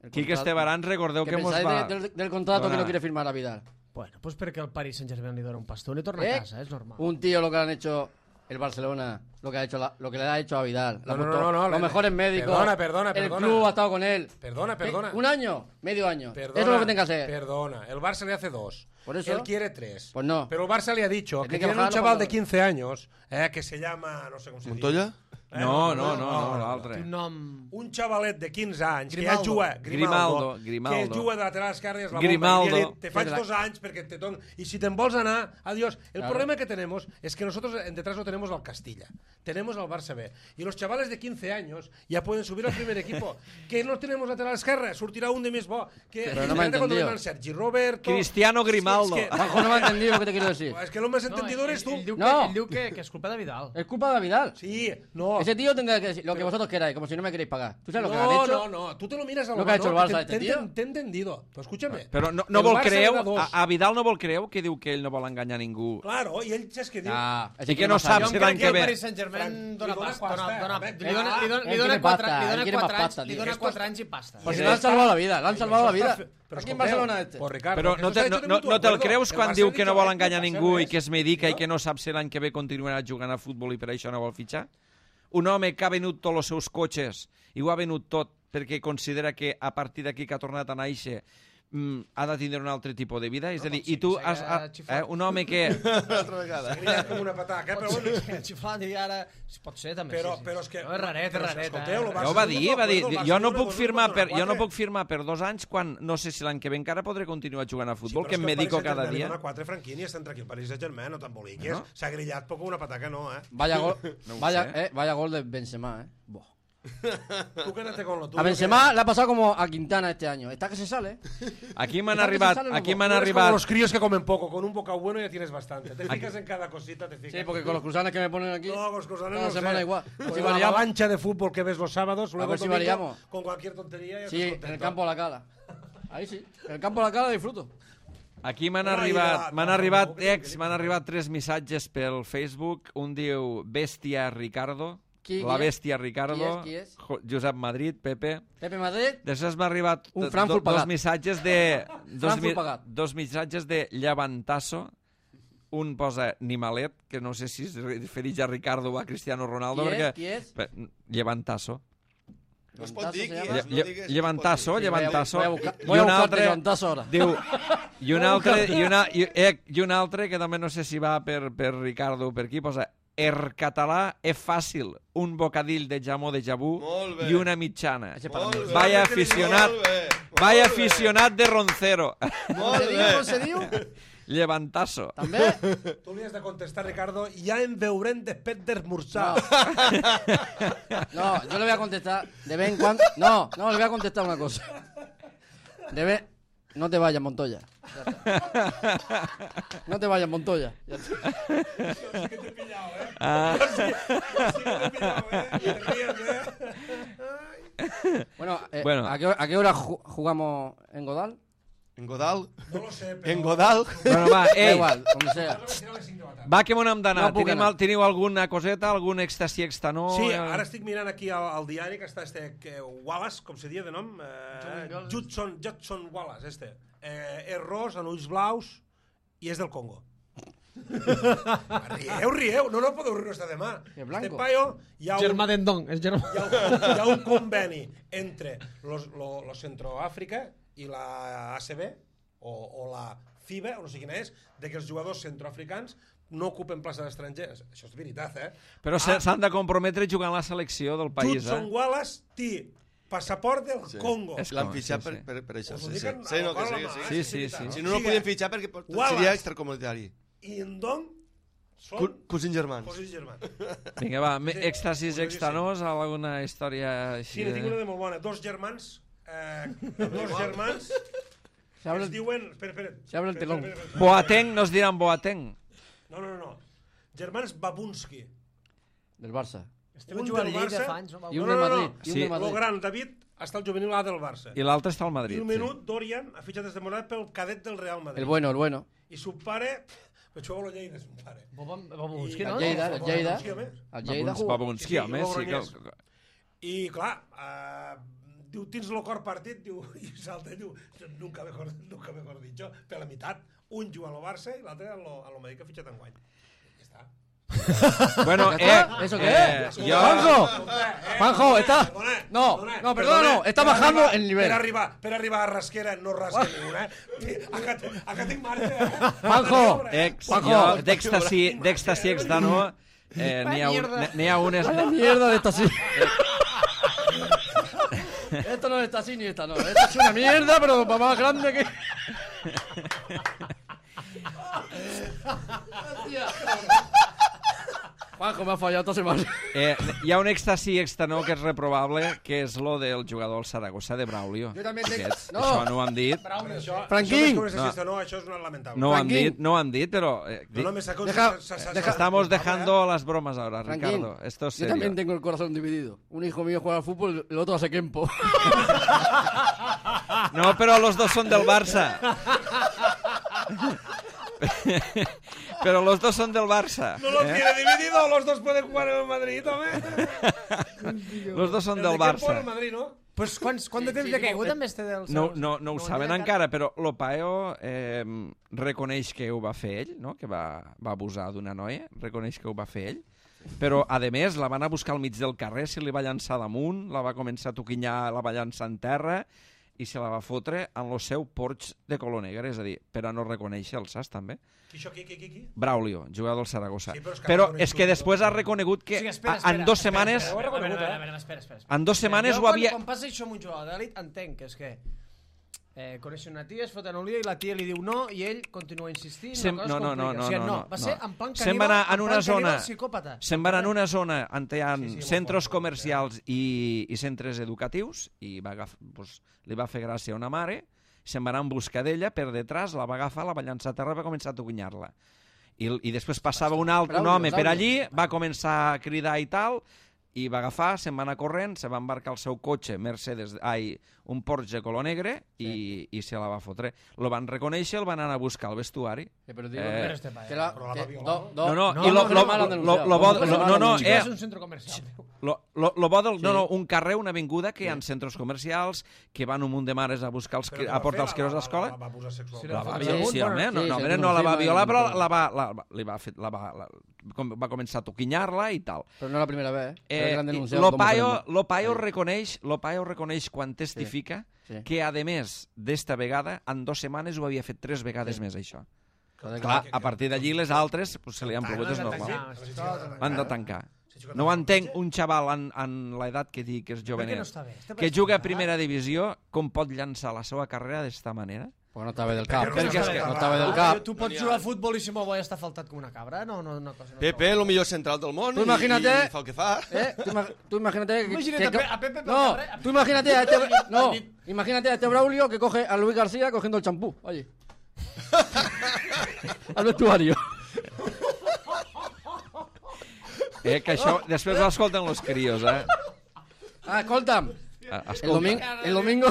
el Quique contrato- Estebaranz, recordeu ¿Qué que mos pensáis va... de- del, del contrato que donar. no quiere firmar a Vidal? Bueno, pues perquè el Paris Saint-Germain li dona un pastón i torna ¿Eh? a casa, és normal. Un tío lo que le han hecho el Barcelona, lo que ha hecho la- lo que le ha hecho a Vidal. Le ha No, no, puesto no, no, los le- mejores médicos. Perdona, perdona, El perdona. club ha estado con él. Perdona, perdona. ¿Eh? ¿Un año? Medio año. Perdona, Eso es lo que tenga que hacer. Perdona, el Barça le hace dos. ¿Por eso? Él quiere tres. Pues no. Pero el Barça le ha dicho El que que tiene un bajarlo chaval por- de quince años eh, que se llama, no sé cómo se dice. Montoya? Eh, No, no, no, no, l'altre. Un nom... Un xavalet de quinze anys Grimaldo. que ja juga, Grimaldo, Grimaldo, Grimaldo. que juga de lateral esquerre i és la Grimaldo. bomba. I li he dit, te faig Sí, de la- dos anys perquè te don... Y si te'n vols anar, adiós. El Claro. problema que tenemos es que nosotros en detrás no tenemos al Castilla, tenemos al Barça B. Y los chavales de quince años ya pueden subir al primer equipo. Que no tenemos lateral esquerre, sortirà un de més bo. Que Pero no me ha imagínate cuando entendido. vengan Sergi Roberto... Cristiano Grimaldo. Es que, Juanjo no me ha entendido lo que te quiero decir. es que lo más entendido eres tú. Ell, ell, diu No. que, ell diu que, que és culpa de Vidal. Es culpa de Vidal. Sí, no. Ese tío tendrá que decir lo que vosotros queráis, como si no me queréis pagar. ¿Tú sabes lo que no, han hecho? no, no, tú te lo miras a Lo que ha hecho el Barça te- este te- tío. Te he entendido. Pues escúchame. Però no, no El vol Barça creu, le da dos. a, a Vidal no vol creu que diu que ell no vol enganyar ningú. Claro, i ell saps què diu? Ah, I que no saps Jo si em l'any crec que que el ve... Paris Saint-Germain Fran, dona li dona pasta. pasta, Dona, dona, home. li dona, li dona, Él li dona quiere quatre, pasta, li él dona quiere quatre más anys, pasta, li tío. dona Esto quatre es- anys i pasta. Pues I le han això salvado està- la vida, le han i salvado això la vida. està fe- però Aquí en escolteu, Barcelona este. Pues Ricardo, Però que no, eso te, está no, hecho de no, mutuo no te'l acuerdo. creus El quan Barça diu ha que dicho, no vol "Eh, enganyar passa ningú i res". que es medica i que no sap si l'any que ve continuarà jugant a futbol i per això no vol fitxar? Un home que ha venut tots els seus cotxes i ho ha venut tot perquè considera que a partir d'aquí que ha tornat a néixer mm, ha de tindre un altre tipus de vida? És a dir, i tu, has, ha, eh, un home que... Una altra vegada. Grillat com una pataca, però bueno. Xiflant i ara... Pot ser, també. Però, sí, sí. però és que... No, és raret, és però, raret. escolteu, eh? el Barça Ja ho va és un dir, mutuo va dir, acuerdo, el jo Barça no dona puc dos, firmar dona per, jo no quatre. puc firmar per dos anys quan no sé si l'any que ve encara podré continuar jugant a Sí, futbol, però que és em el medico Paris cada Saint-Germain dia. li dona quatre franquini i estan tranquil. Paris Saint-Germain, no t'emboliquis. No? S'ha grillat poc una pataca, no, eh? Vaya gol, No ho vaya, sé. eh, vaya gol de Benzema, eh. Buah. Tú quédate con lo tuyo. A Benzema le ha pasado como a Quintana este año. Está que se sale. Aquí m'han Saps que arribat, salen los aquí dos? m'han Tú eres arribat... como los críos que comen poco. Con un bocado bueno ya tienes bastante. Te fijas en cada cosita, te fijas. Sí, porque con los cruzanes que me ponen aquí. No, con los cruzanes cada no semana sé. igual. Con Si la variamos. avalancha de fútbol que ves los sábados, luego ver el si domingo, variamos. con cualquier tontería ya Sí, estás en el contento. campo de la cala. Ahí sí. En el campo de la cala disfruto. Aquí m'han Una arribat, ida- m'han no, arribat no, que ex, no, m'han que no. arribat tres missatges pel Facebook. Un diu Bèstia Ricardo, Qui- la qui és? Bèstia Ricardo, Qui és, qui és? Jo- Josep Madrid, Pepe. Pepe Madrid. Després m'ha arribat Un do- Frankfurt do- dos pagat. missatges de... Dos, Frankfurt pagat. dos missatges de Llevantasso. Un posa Nimalet, que no sé si es refereix a Ricardo o a Cristiano Ronaldo. Qui és? perquè... Qui és? Pe- Llevantasso. No es pot dir qui Lle- és, no Lle- digues... Llevantasso, llevantasso. Voy a buscar, I voy a un buscarte altre levantazo ahora. diu i un altre i, una, i, eh, i un altre que també no sé si va per, per Ricardo o per qui posa er català és fàcil, un bocadill de jamó de jabú Molt bé. i una mitjana. Molt bé. Vaya aficionat, Molt bé, molt vaya bé. aficionat de Roncero. Molt Se diu, bé. com se diu? Llevantasso. També? Tu li has de contestar, Ricardo, ja en veurem després d'esmorzar. No, yo le voy a contestar de vez en cuando. No, no, le voy a contestar una cosa. De vez... No te vayas, Montoya. Ya está. No te vayas, Montoya. Ya está. Sí que t'he pillado, eh? Ah. Sí, sí que t'he pillado, eh? Te ríes, eh? Ai. Bueno, eh, Bueno. ¿a, qué, hora- ¿a qué hora ju- jugamos en Godal? En Godal? No lo sé, però... En Godal? Bueno, va, Da ei, igual, donde sea. va que m'ho hem d'anar. No puc Tenim, anar. al- teniu alguna coseta, algun èxtasi extanó? Sí, Eh, ara estic mirant aquí al, al diari que està este que, Wallace, com se dia de nom? Eh, Judson, Judson Wallace, este. Eh, és ros, amb ulls blaus i és del Congo. rieu, rieu. No, no podeu riure hasta demà. És blanco. Este paio, hi ha un, Germà d'Endong, és germà. hi ha un, hi ha un conveni entre los, lo, lo Centroàfrica i la A C B o, o la FIBA, o no sé quina és, de que els jugadors centroafricans no ocupen places estrangers. Això és veritat, eh? Però Ah, s'han de comprometre jugant a la selecció del país, Judson eh? Wallace té passaport del Sí. Congo. És L'han com- fitxat sí, per, sí. per, per això. Us ho Sí, dic sí. en- Sí, no, amb que la sí, mà, que eh, sí. Sí, sí, veritat. sí. Si no, no el podien fitxar perquè pot- Wallace. seria extracomunitari. I en Dong són Cu- Cosins germans. cosins germans. Vinga, va, me- Sí, èxtasis curiosíssim. extanós, alguna història així Sí, ne tinc una de... de molt bona. Dos germans, eh, dos germans Se abre es el, diuen... Espera, espera. Se abre el Espera, telón. espera, espera. Boateng, no es diran Boateng. No, no, no, no. Germans Babunski. del Barça. Estem Un jugant del Lleida Barça fa anys, no? I un No, del no, no, Madrid. no. I un Sí. del Lo Madrid. gran, David, està al juvenil A del Barça. I l'altre està al I Madrid. un Sí. minut, Dorian ha fitxat des de Morat pel cadet del Real Madrid. El bueno, el bueno. I su pare... Vaig jugar a la Lleida, su pare. Babunski, I- no? El Lleida, el Lleida. Babunski, home. El Lleida Babuns- jugó. Babunski, Sí, sí, home, sí que... Logroñés. I, clar, eh, diu, tens el cor partit, diu, i salta i diu, nunca mejor, nunca mejor dicho, per la meitat. Un juga al Barça i l'altre a lo, a lo Madrid que ha fitxat enguany. Ja està. Bueno, ¿Ya eh... está? ¿Eso qué eh, es? jo- ¡Juanjo! Eh, Juanjo, está... perdona, No, perdona, no, perdona, no, está per bajando arribar- el nivel. Per arribar, per arribar a Rasquera no rasca ni una, eh? Acá, te- acá tinc marge. eh? Juanjo, Ex, Juanjo. jo, d'èxtasi, d'èxtasi extanó, eh, n'hi ha, un, mierda. n'hi ha unes... Vaya mierda de esta sí. Esto no está así ni esta no. Esto es una mierda, pero para más grande que... Hostia. Juanjo, me ha fallado esta semana. Eh, hi ha un èxtasi extanó que és reprobable, que és lo del jugador del Saragossa de Braulio. Jo també entenc- Aquests, No. Això no ho han dit. Això, Franquín. Això, més que No. no. no, això és una lamentable. No ho han Franquín. dit, no ho han dit, però... Eh, No, no, me sacó... Deja- sa- sa- sa- deja- Estamos sa- dejando las bromas ahora, Franquín, Ricardo. Esto es yo serio. también tengo el corazón dividido. Un hijo mío juega al fútbol, el otro hace Kempo. No, pero los dos son del Barça. Pero los dos son del Barça. No los ¿eh? tiene dividido, los dos pueden jugar en el Madrid, home. Los dos son El del de Kempo en el Barça. Madrid, no? Pues quants, quant de temps de caigut amb este del... No, no, no ho saben han encara, però l'Opaeo eh, reconeix que ho va fer ell, no? Que va, va abusar d'una noia, reconeix que ho va fer ell, però, a més, la van a buscar al mig del carrer, se li va llançar damunt, la va començar a toquinyar, la va llançar en terra, i se la va fotre en el seu porx de color negre, és a dir, per a no reconèixer-lo, saps, també? Qui, això, qui, qui, qui, qui? Braulio, jugador del Saragossa. Sí, però és que però no és que després ha reconegut que Sí, espera, a- espera, en dues espera, setmanes... espera, espera, espera, espera, espera, espera, espera. En dues setmanes jo, ho havia... Quan, quan passa això amb un jugador d'elit, entenc que és que eh, coneix una tia, es foten un lío i la tia li diu no i ell continua insistint. Sem- la cosa no, es no, no, complica. no, O sigui, no, no, no, va ser no. en plan Se'n caníbal, va anar en en una plan caníbal zona- psicòpata. Se'n van en una zona on hi ha Sí, sí, molt centres fort, comercials i, i centres educatius i va agaf, pues, li va fer gràcia a una mare, se'n va anar en busca d'ella, per detrás la va agafar, la va llançar a terra i va començar a toquinyar-la. I, I després passava un altre un Braulio, home per Braulio. allí, va començar a cridar i tal, i va agafar, se'n va anar corrent, se va embarcar el seu cotxe, Mercedes, ai, un Porsche color negre, i, i se la va fotre. Lo van reconèixer, el van anar a buscar al vestuari. Eh, pero digo, Eh, Pero este paio. que la, Però la que- va violar, do- do- No, no, No, i lo, no, lo, no, mal lo, denunciado. lo, bo- No, lo- mal no, no, Sí, eh, és un centre comercial. Lo, lo, lo bo del, Sí. no, no, un carrer, una avinguda que hi ha centres comercials, que van un munt de mares a buscar els, Però cri- què a va portar fer? els crios La- a l'escola. La, la va abusar sexualment. Sí, La la va va violar, violar, sí, bueno, home, no, sí, no, sí, home, sí, no la va sí, violar, sí, però sí. la va, la, va- li va, fer, la va, la, com- va començar a toquinyar-la i tal. Pero no la primera vez. ¿eh? Eh, Eh, l'han denunciat com L'Opaio referèndum. l'Opaio reconeix, l'Opaio reconeix quan testifica sí. que, a més d'esta vegada, en dues setmanes ho havia fet tres vegades Sí. més, això. Clar, Clar, a partir d'allí les altres pues, se li han plogut, és normal. Han de tancar. No ho entenc un xaval en, en l'edat que dic que és Per què jovenet, no està bé? Està que per juga a escoltar. primera divisió, com pot llançar la seva carrera d'esta manera? Perquè no està bé del cap. Perquè Perquè és que- no està bé del Ah, cap. Tu pots jugar a futbol i si m'ho vull estar faltat com una cabra? No, no, una cosa. No Pepe, el millor central del món, Tu i, imagina't, i fa el que fa. Eh, tu, ima- tu imagínate que, Imagínate que- a Pe- a Pepe por no, carrer- tú imagínate a este no, imagínate a este Braulio que coge a Luis García cogiendo el champú, oye. Al vestuario. Eh, que això després ho escolten los crios, eh? Ah, escolta'm. Ah, El escolta. domingo, el domingo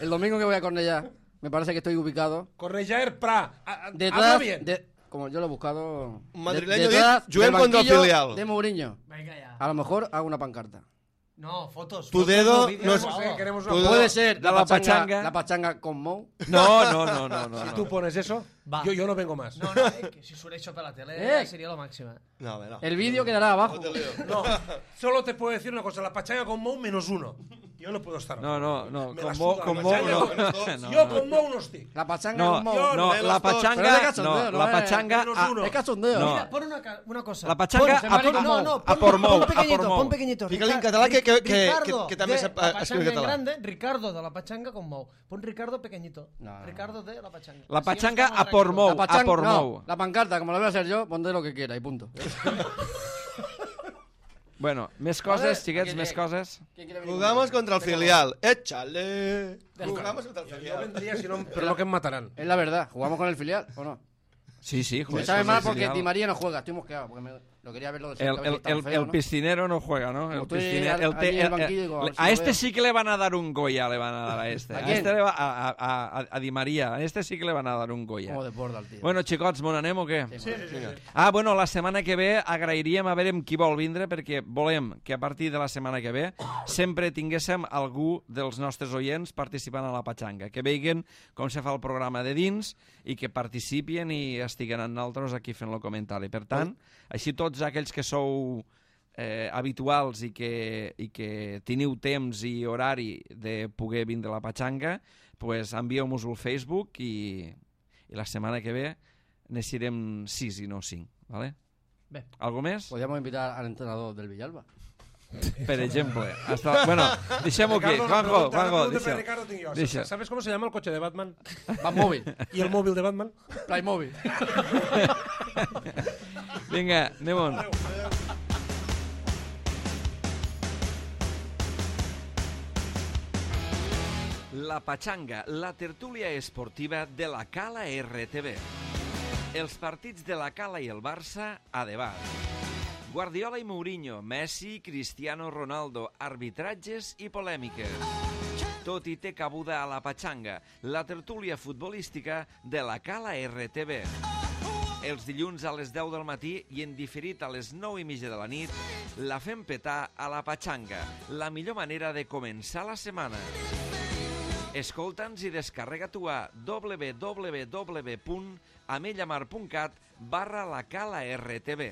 el domingo que voy a Cornellá, me parece que estoy ubicado Correjaer Pra. A- a- Habla detrás bien. de, como yo lo he buscado, Un madrileño detrás dit, juguem del contra el banquillo filial. de Mourinho. Venga ya. A lo mejor hago una pancarta. No, fotos. Tu fotos, dedo vídeos, no es- no. Eh, queremos Tu una... dedo- Puede ser de la, la pachanga, pachanga. la pachanga con Mou. No, no, no, no, no. Si no. tú pones eso, Va. yo, yo no vengo más. No, no, eh, que si surt això per la tele Eh. seria lo màxim. No, home, no. El vídeo quedará abajo. No te lío. No, solo te puedo decir una cosa, la pachanga con Mou menos uno. Yo no puedo estar. No, no, no, Me con la Mou, suda con la Mou pachanga, no. menos dos. No, yo no. con Mou no estoy. La pachanga No, con Mou. yo no, de la los dos. Pero es de pachanga, cachondeo, no, no la es- pachanga, menos a- uno. Es cachondeo. No. Mira, pon una, ca- una cosa. la pachanga Pon- a por no, Mou, no, a pon, por Mou, pon a por pequeñito, Mou. pon pequeñito. Fica-li en Rica- català que- que- que- Ricardo, que- que també de sap, la eh, escriure pachanga en català. grande, Ricardo de la pachanga con Mou. Pon Ricardo pequeñito. No, no. Ricardo de la pachanga. La Así pachanga estamos a por tranquilos. Mou. La pachanga, a por no, Mou. la pancarta, como la voy a hacer yo, pondré lo que quiera y punto. Bueno, més coses, xiquets, Aquí, més aquí. coses. ¿Quién quiere venir Jugamos conmigo? contra el filial. Échale. Venga. Jugamos contra el Yo filial. vendría, si no, pero no que me matarán. Es la verdad, jugamos con el filial, ¿o no? Sí, sí, Me joder. sabe pues mal el porque filial. Di María no juega, estoy mosqueado, porque me, lo quería verlo de El, cerca, a ver el, si estaba el, feo, el ¿no? piscinero no juega, ¿no? Como El estoy piscinero, al- el te- allí en el el- banquillo, el- digo, a ver si a lo este veo. sí que le van a dar un Goya, le van a dar a este. ¿A A, quién? este le va, a, a, a, a Di María, a este sí que le van a dar un Goya. Como de borda el tío. Bueno, xicots, mon anem o què? Sí, sí, sí. Ah, bueno, la setmana que ve agrairíem a veure qui vol vindre, perquè volem que a partir de la setmana que ve sempre tinguéssim algú dels nostres oients participant a la Pachanga, que vegin com se fa el programa de dins i que participin i estiguen amb nosaltres aquí fent el comentari. Per tant, així tots aquells que sou eh, habituals i que, i que teniu temps i horari de poder vindre a la Pachanga, pues envieu-nos al Facebook i, i la setmana que ve necessitem sis i no cinc, ¿vale? Bé. Algo més? Podríamos invitar al entrenador del Villalba. Per exemple. Hasta... Bueno, deixem-ho aquí. Ricardo, una Juanjo, pregunta, una Juanjo, pregunta para deixa. Ricardo tengo yo. Deixa. ¿Sabes cómo se llama el coche de Batman? Batmóvil, ¿Y el móvil de Batman? Playmobil. Vinga, anem-on. La Pachanga, la tertúlia esportiva de la Cala R T V. Els partits de la Cala i el Barça a debat. Guardiola i Mourinho, Messi, Cristiano Ronaldo, arbitratges i polèmiques. Tot hi té cabuda a la Pachanga, la tertúlia futbolística de la Cala R T V. Els dilluns a les deu del matí i en diferit a les nou i mitja de la nit, la fem petar a la Pachanga, la millor manera de començar la setmana. Escolta'ns i descarrega tu a w w w punt amellamar punt cat barra la Cala R T V.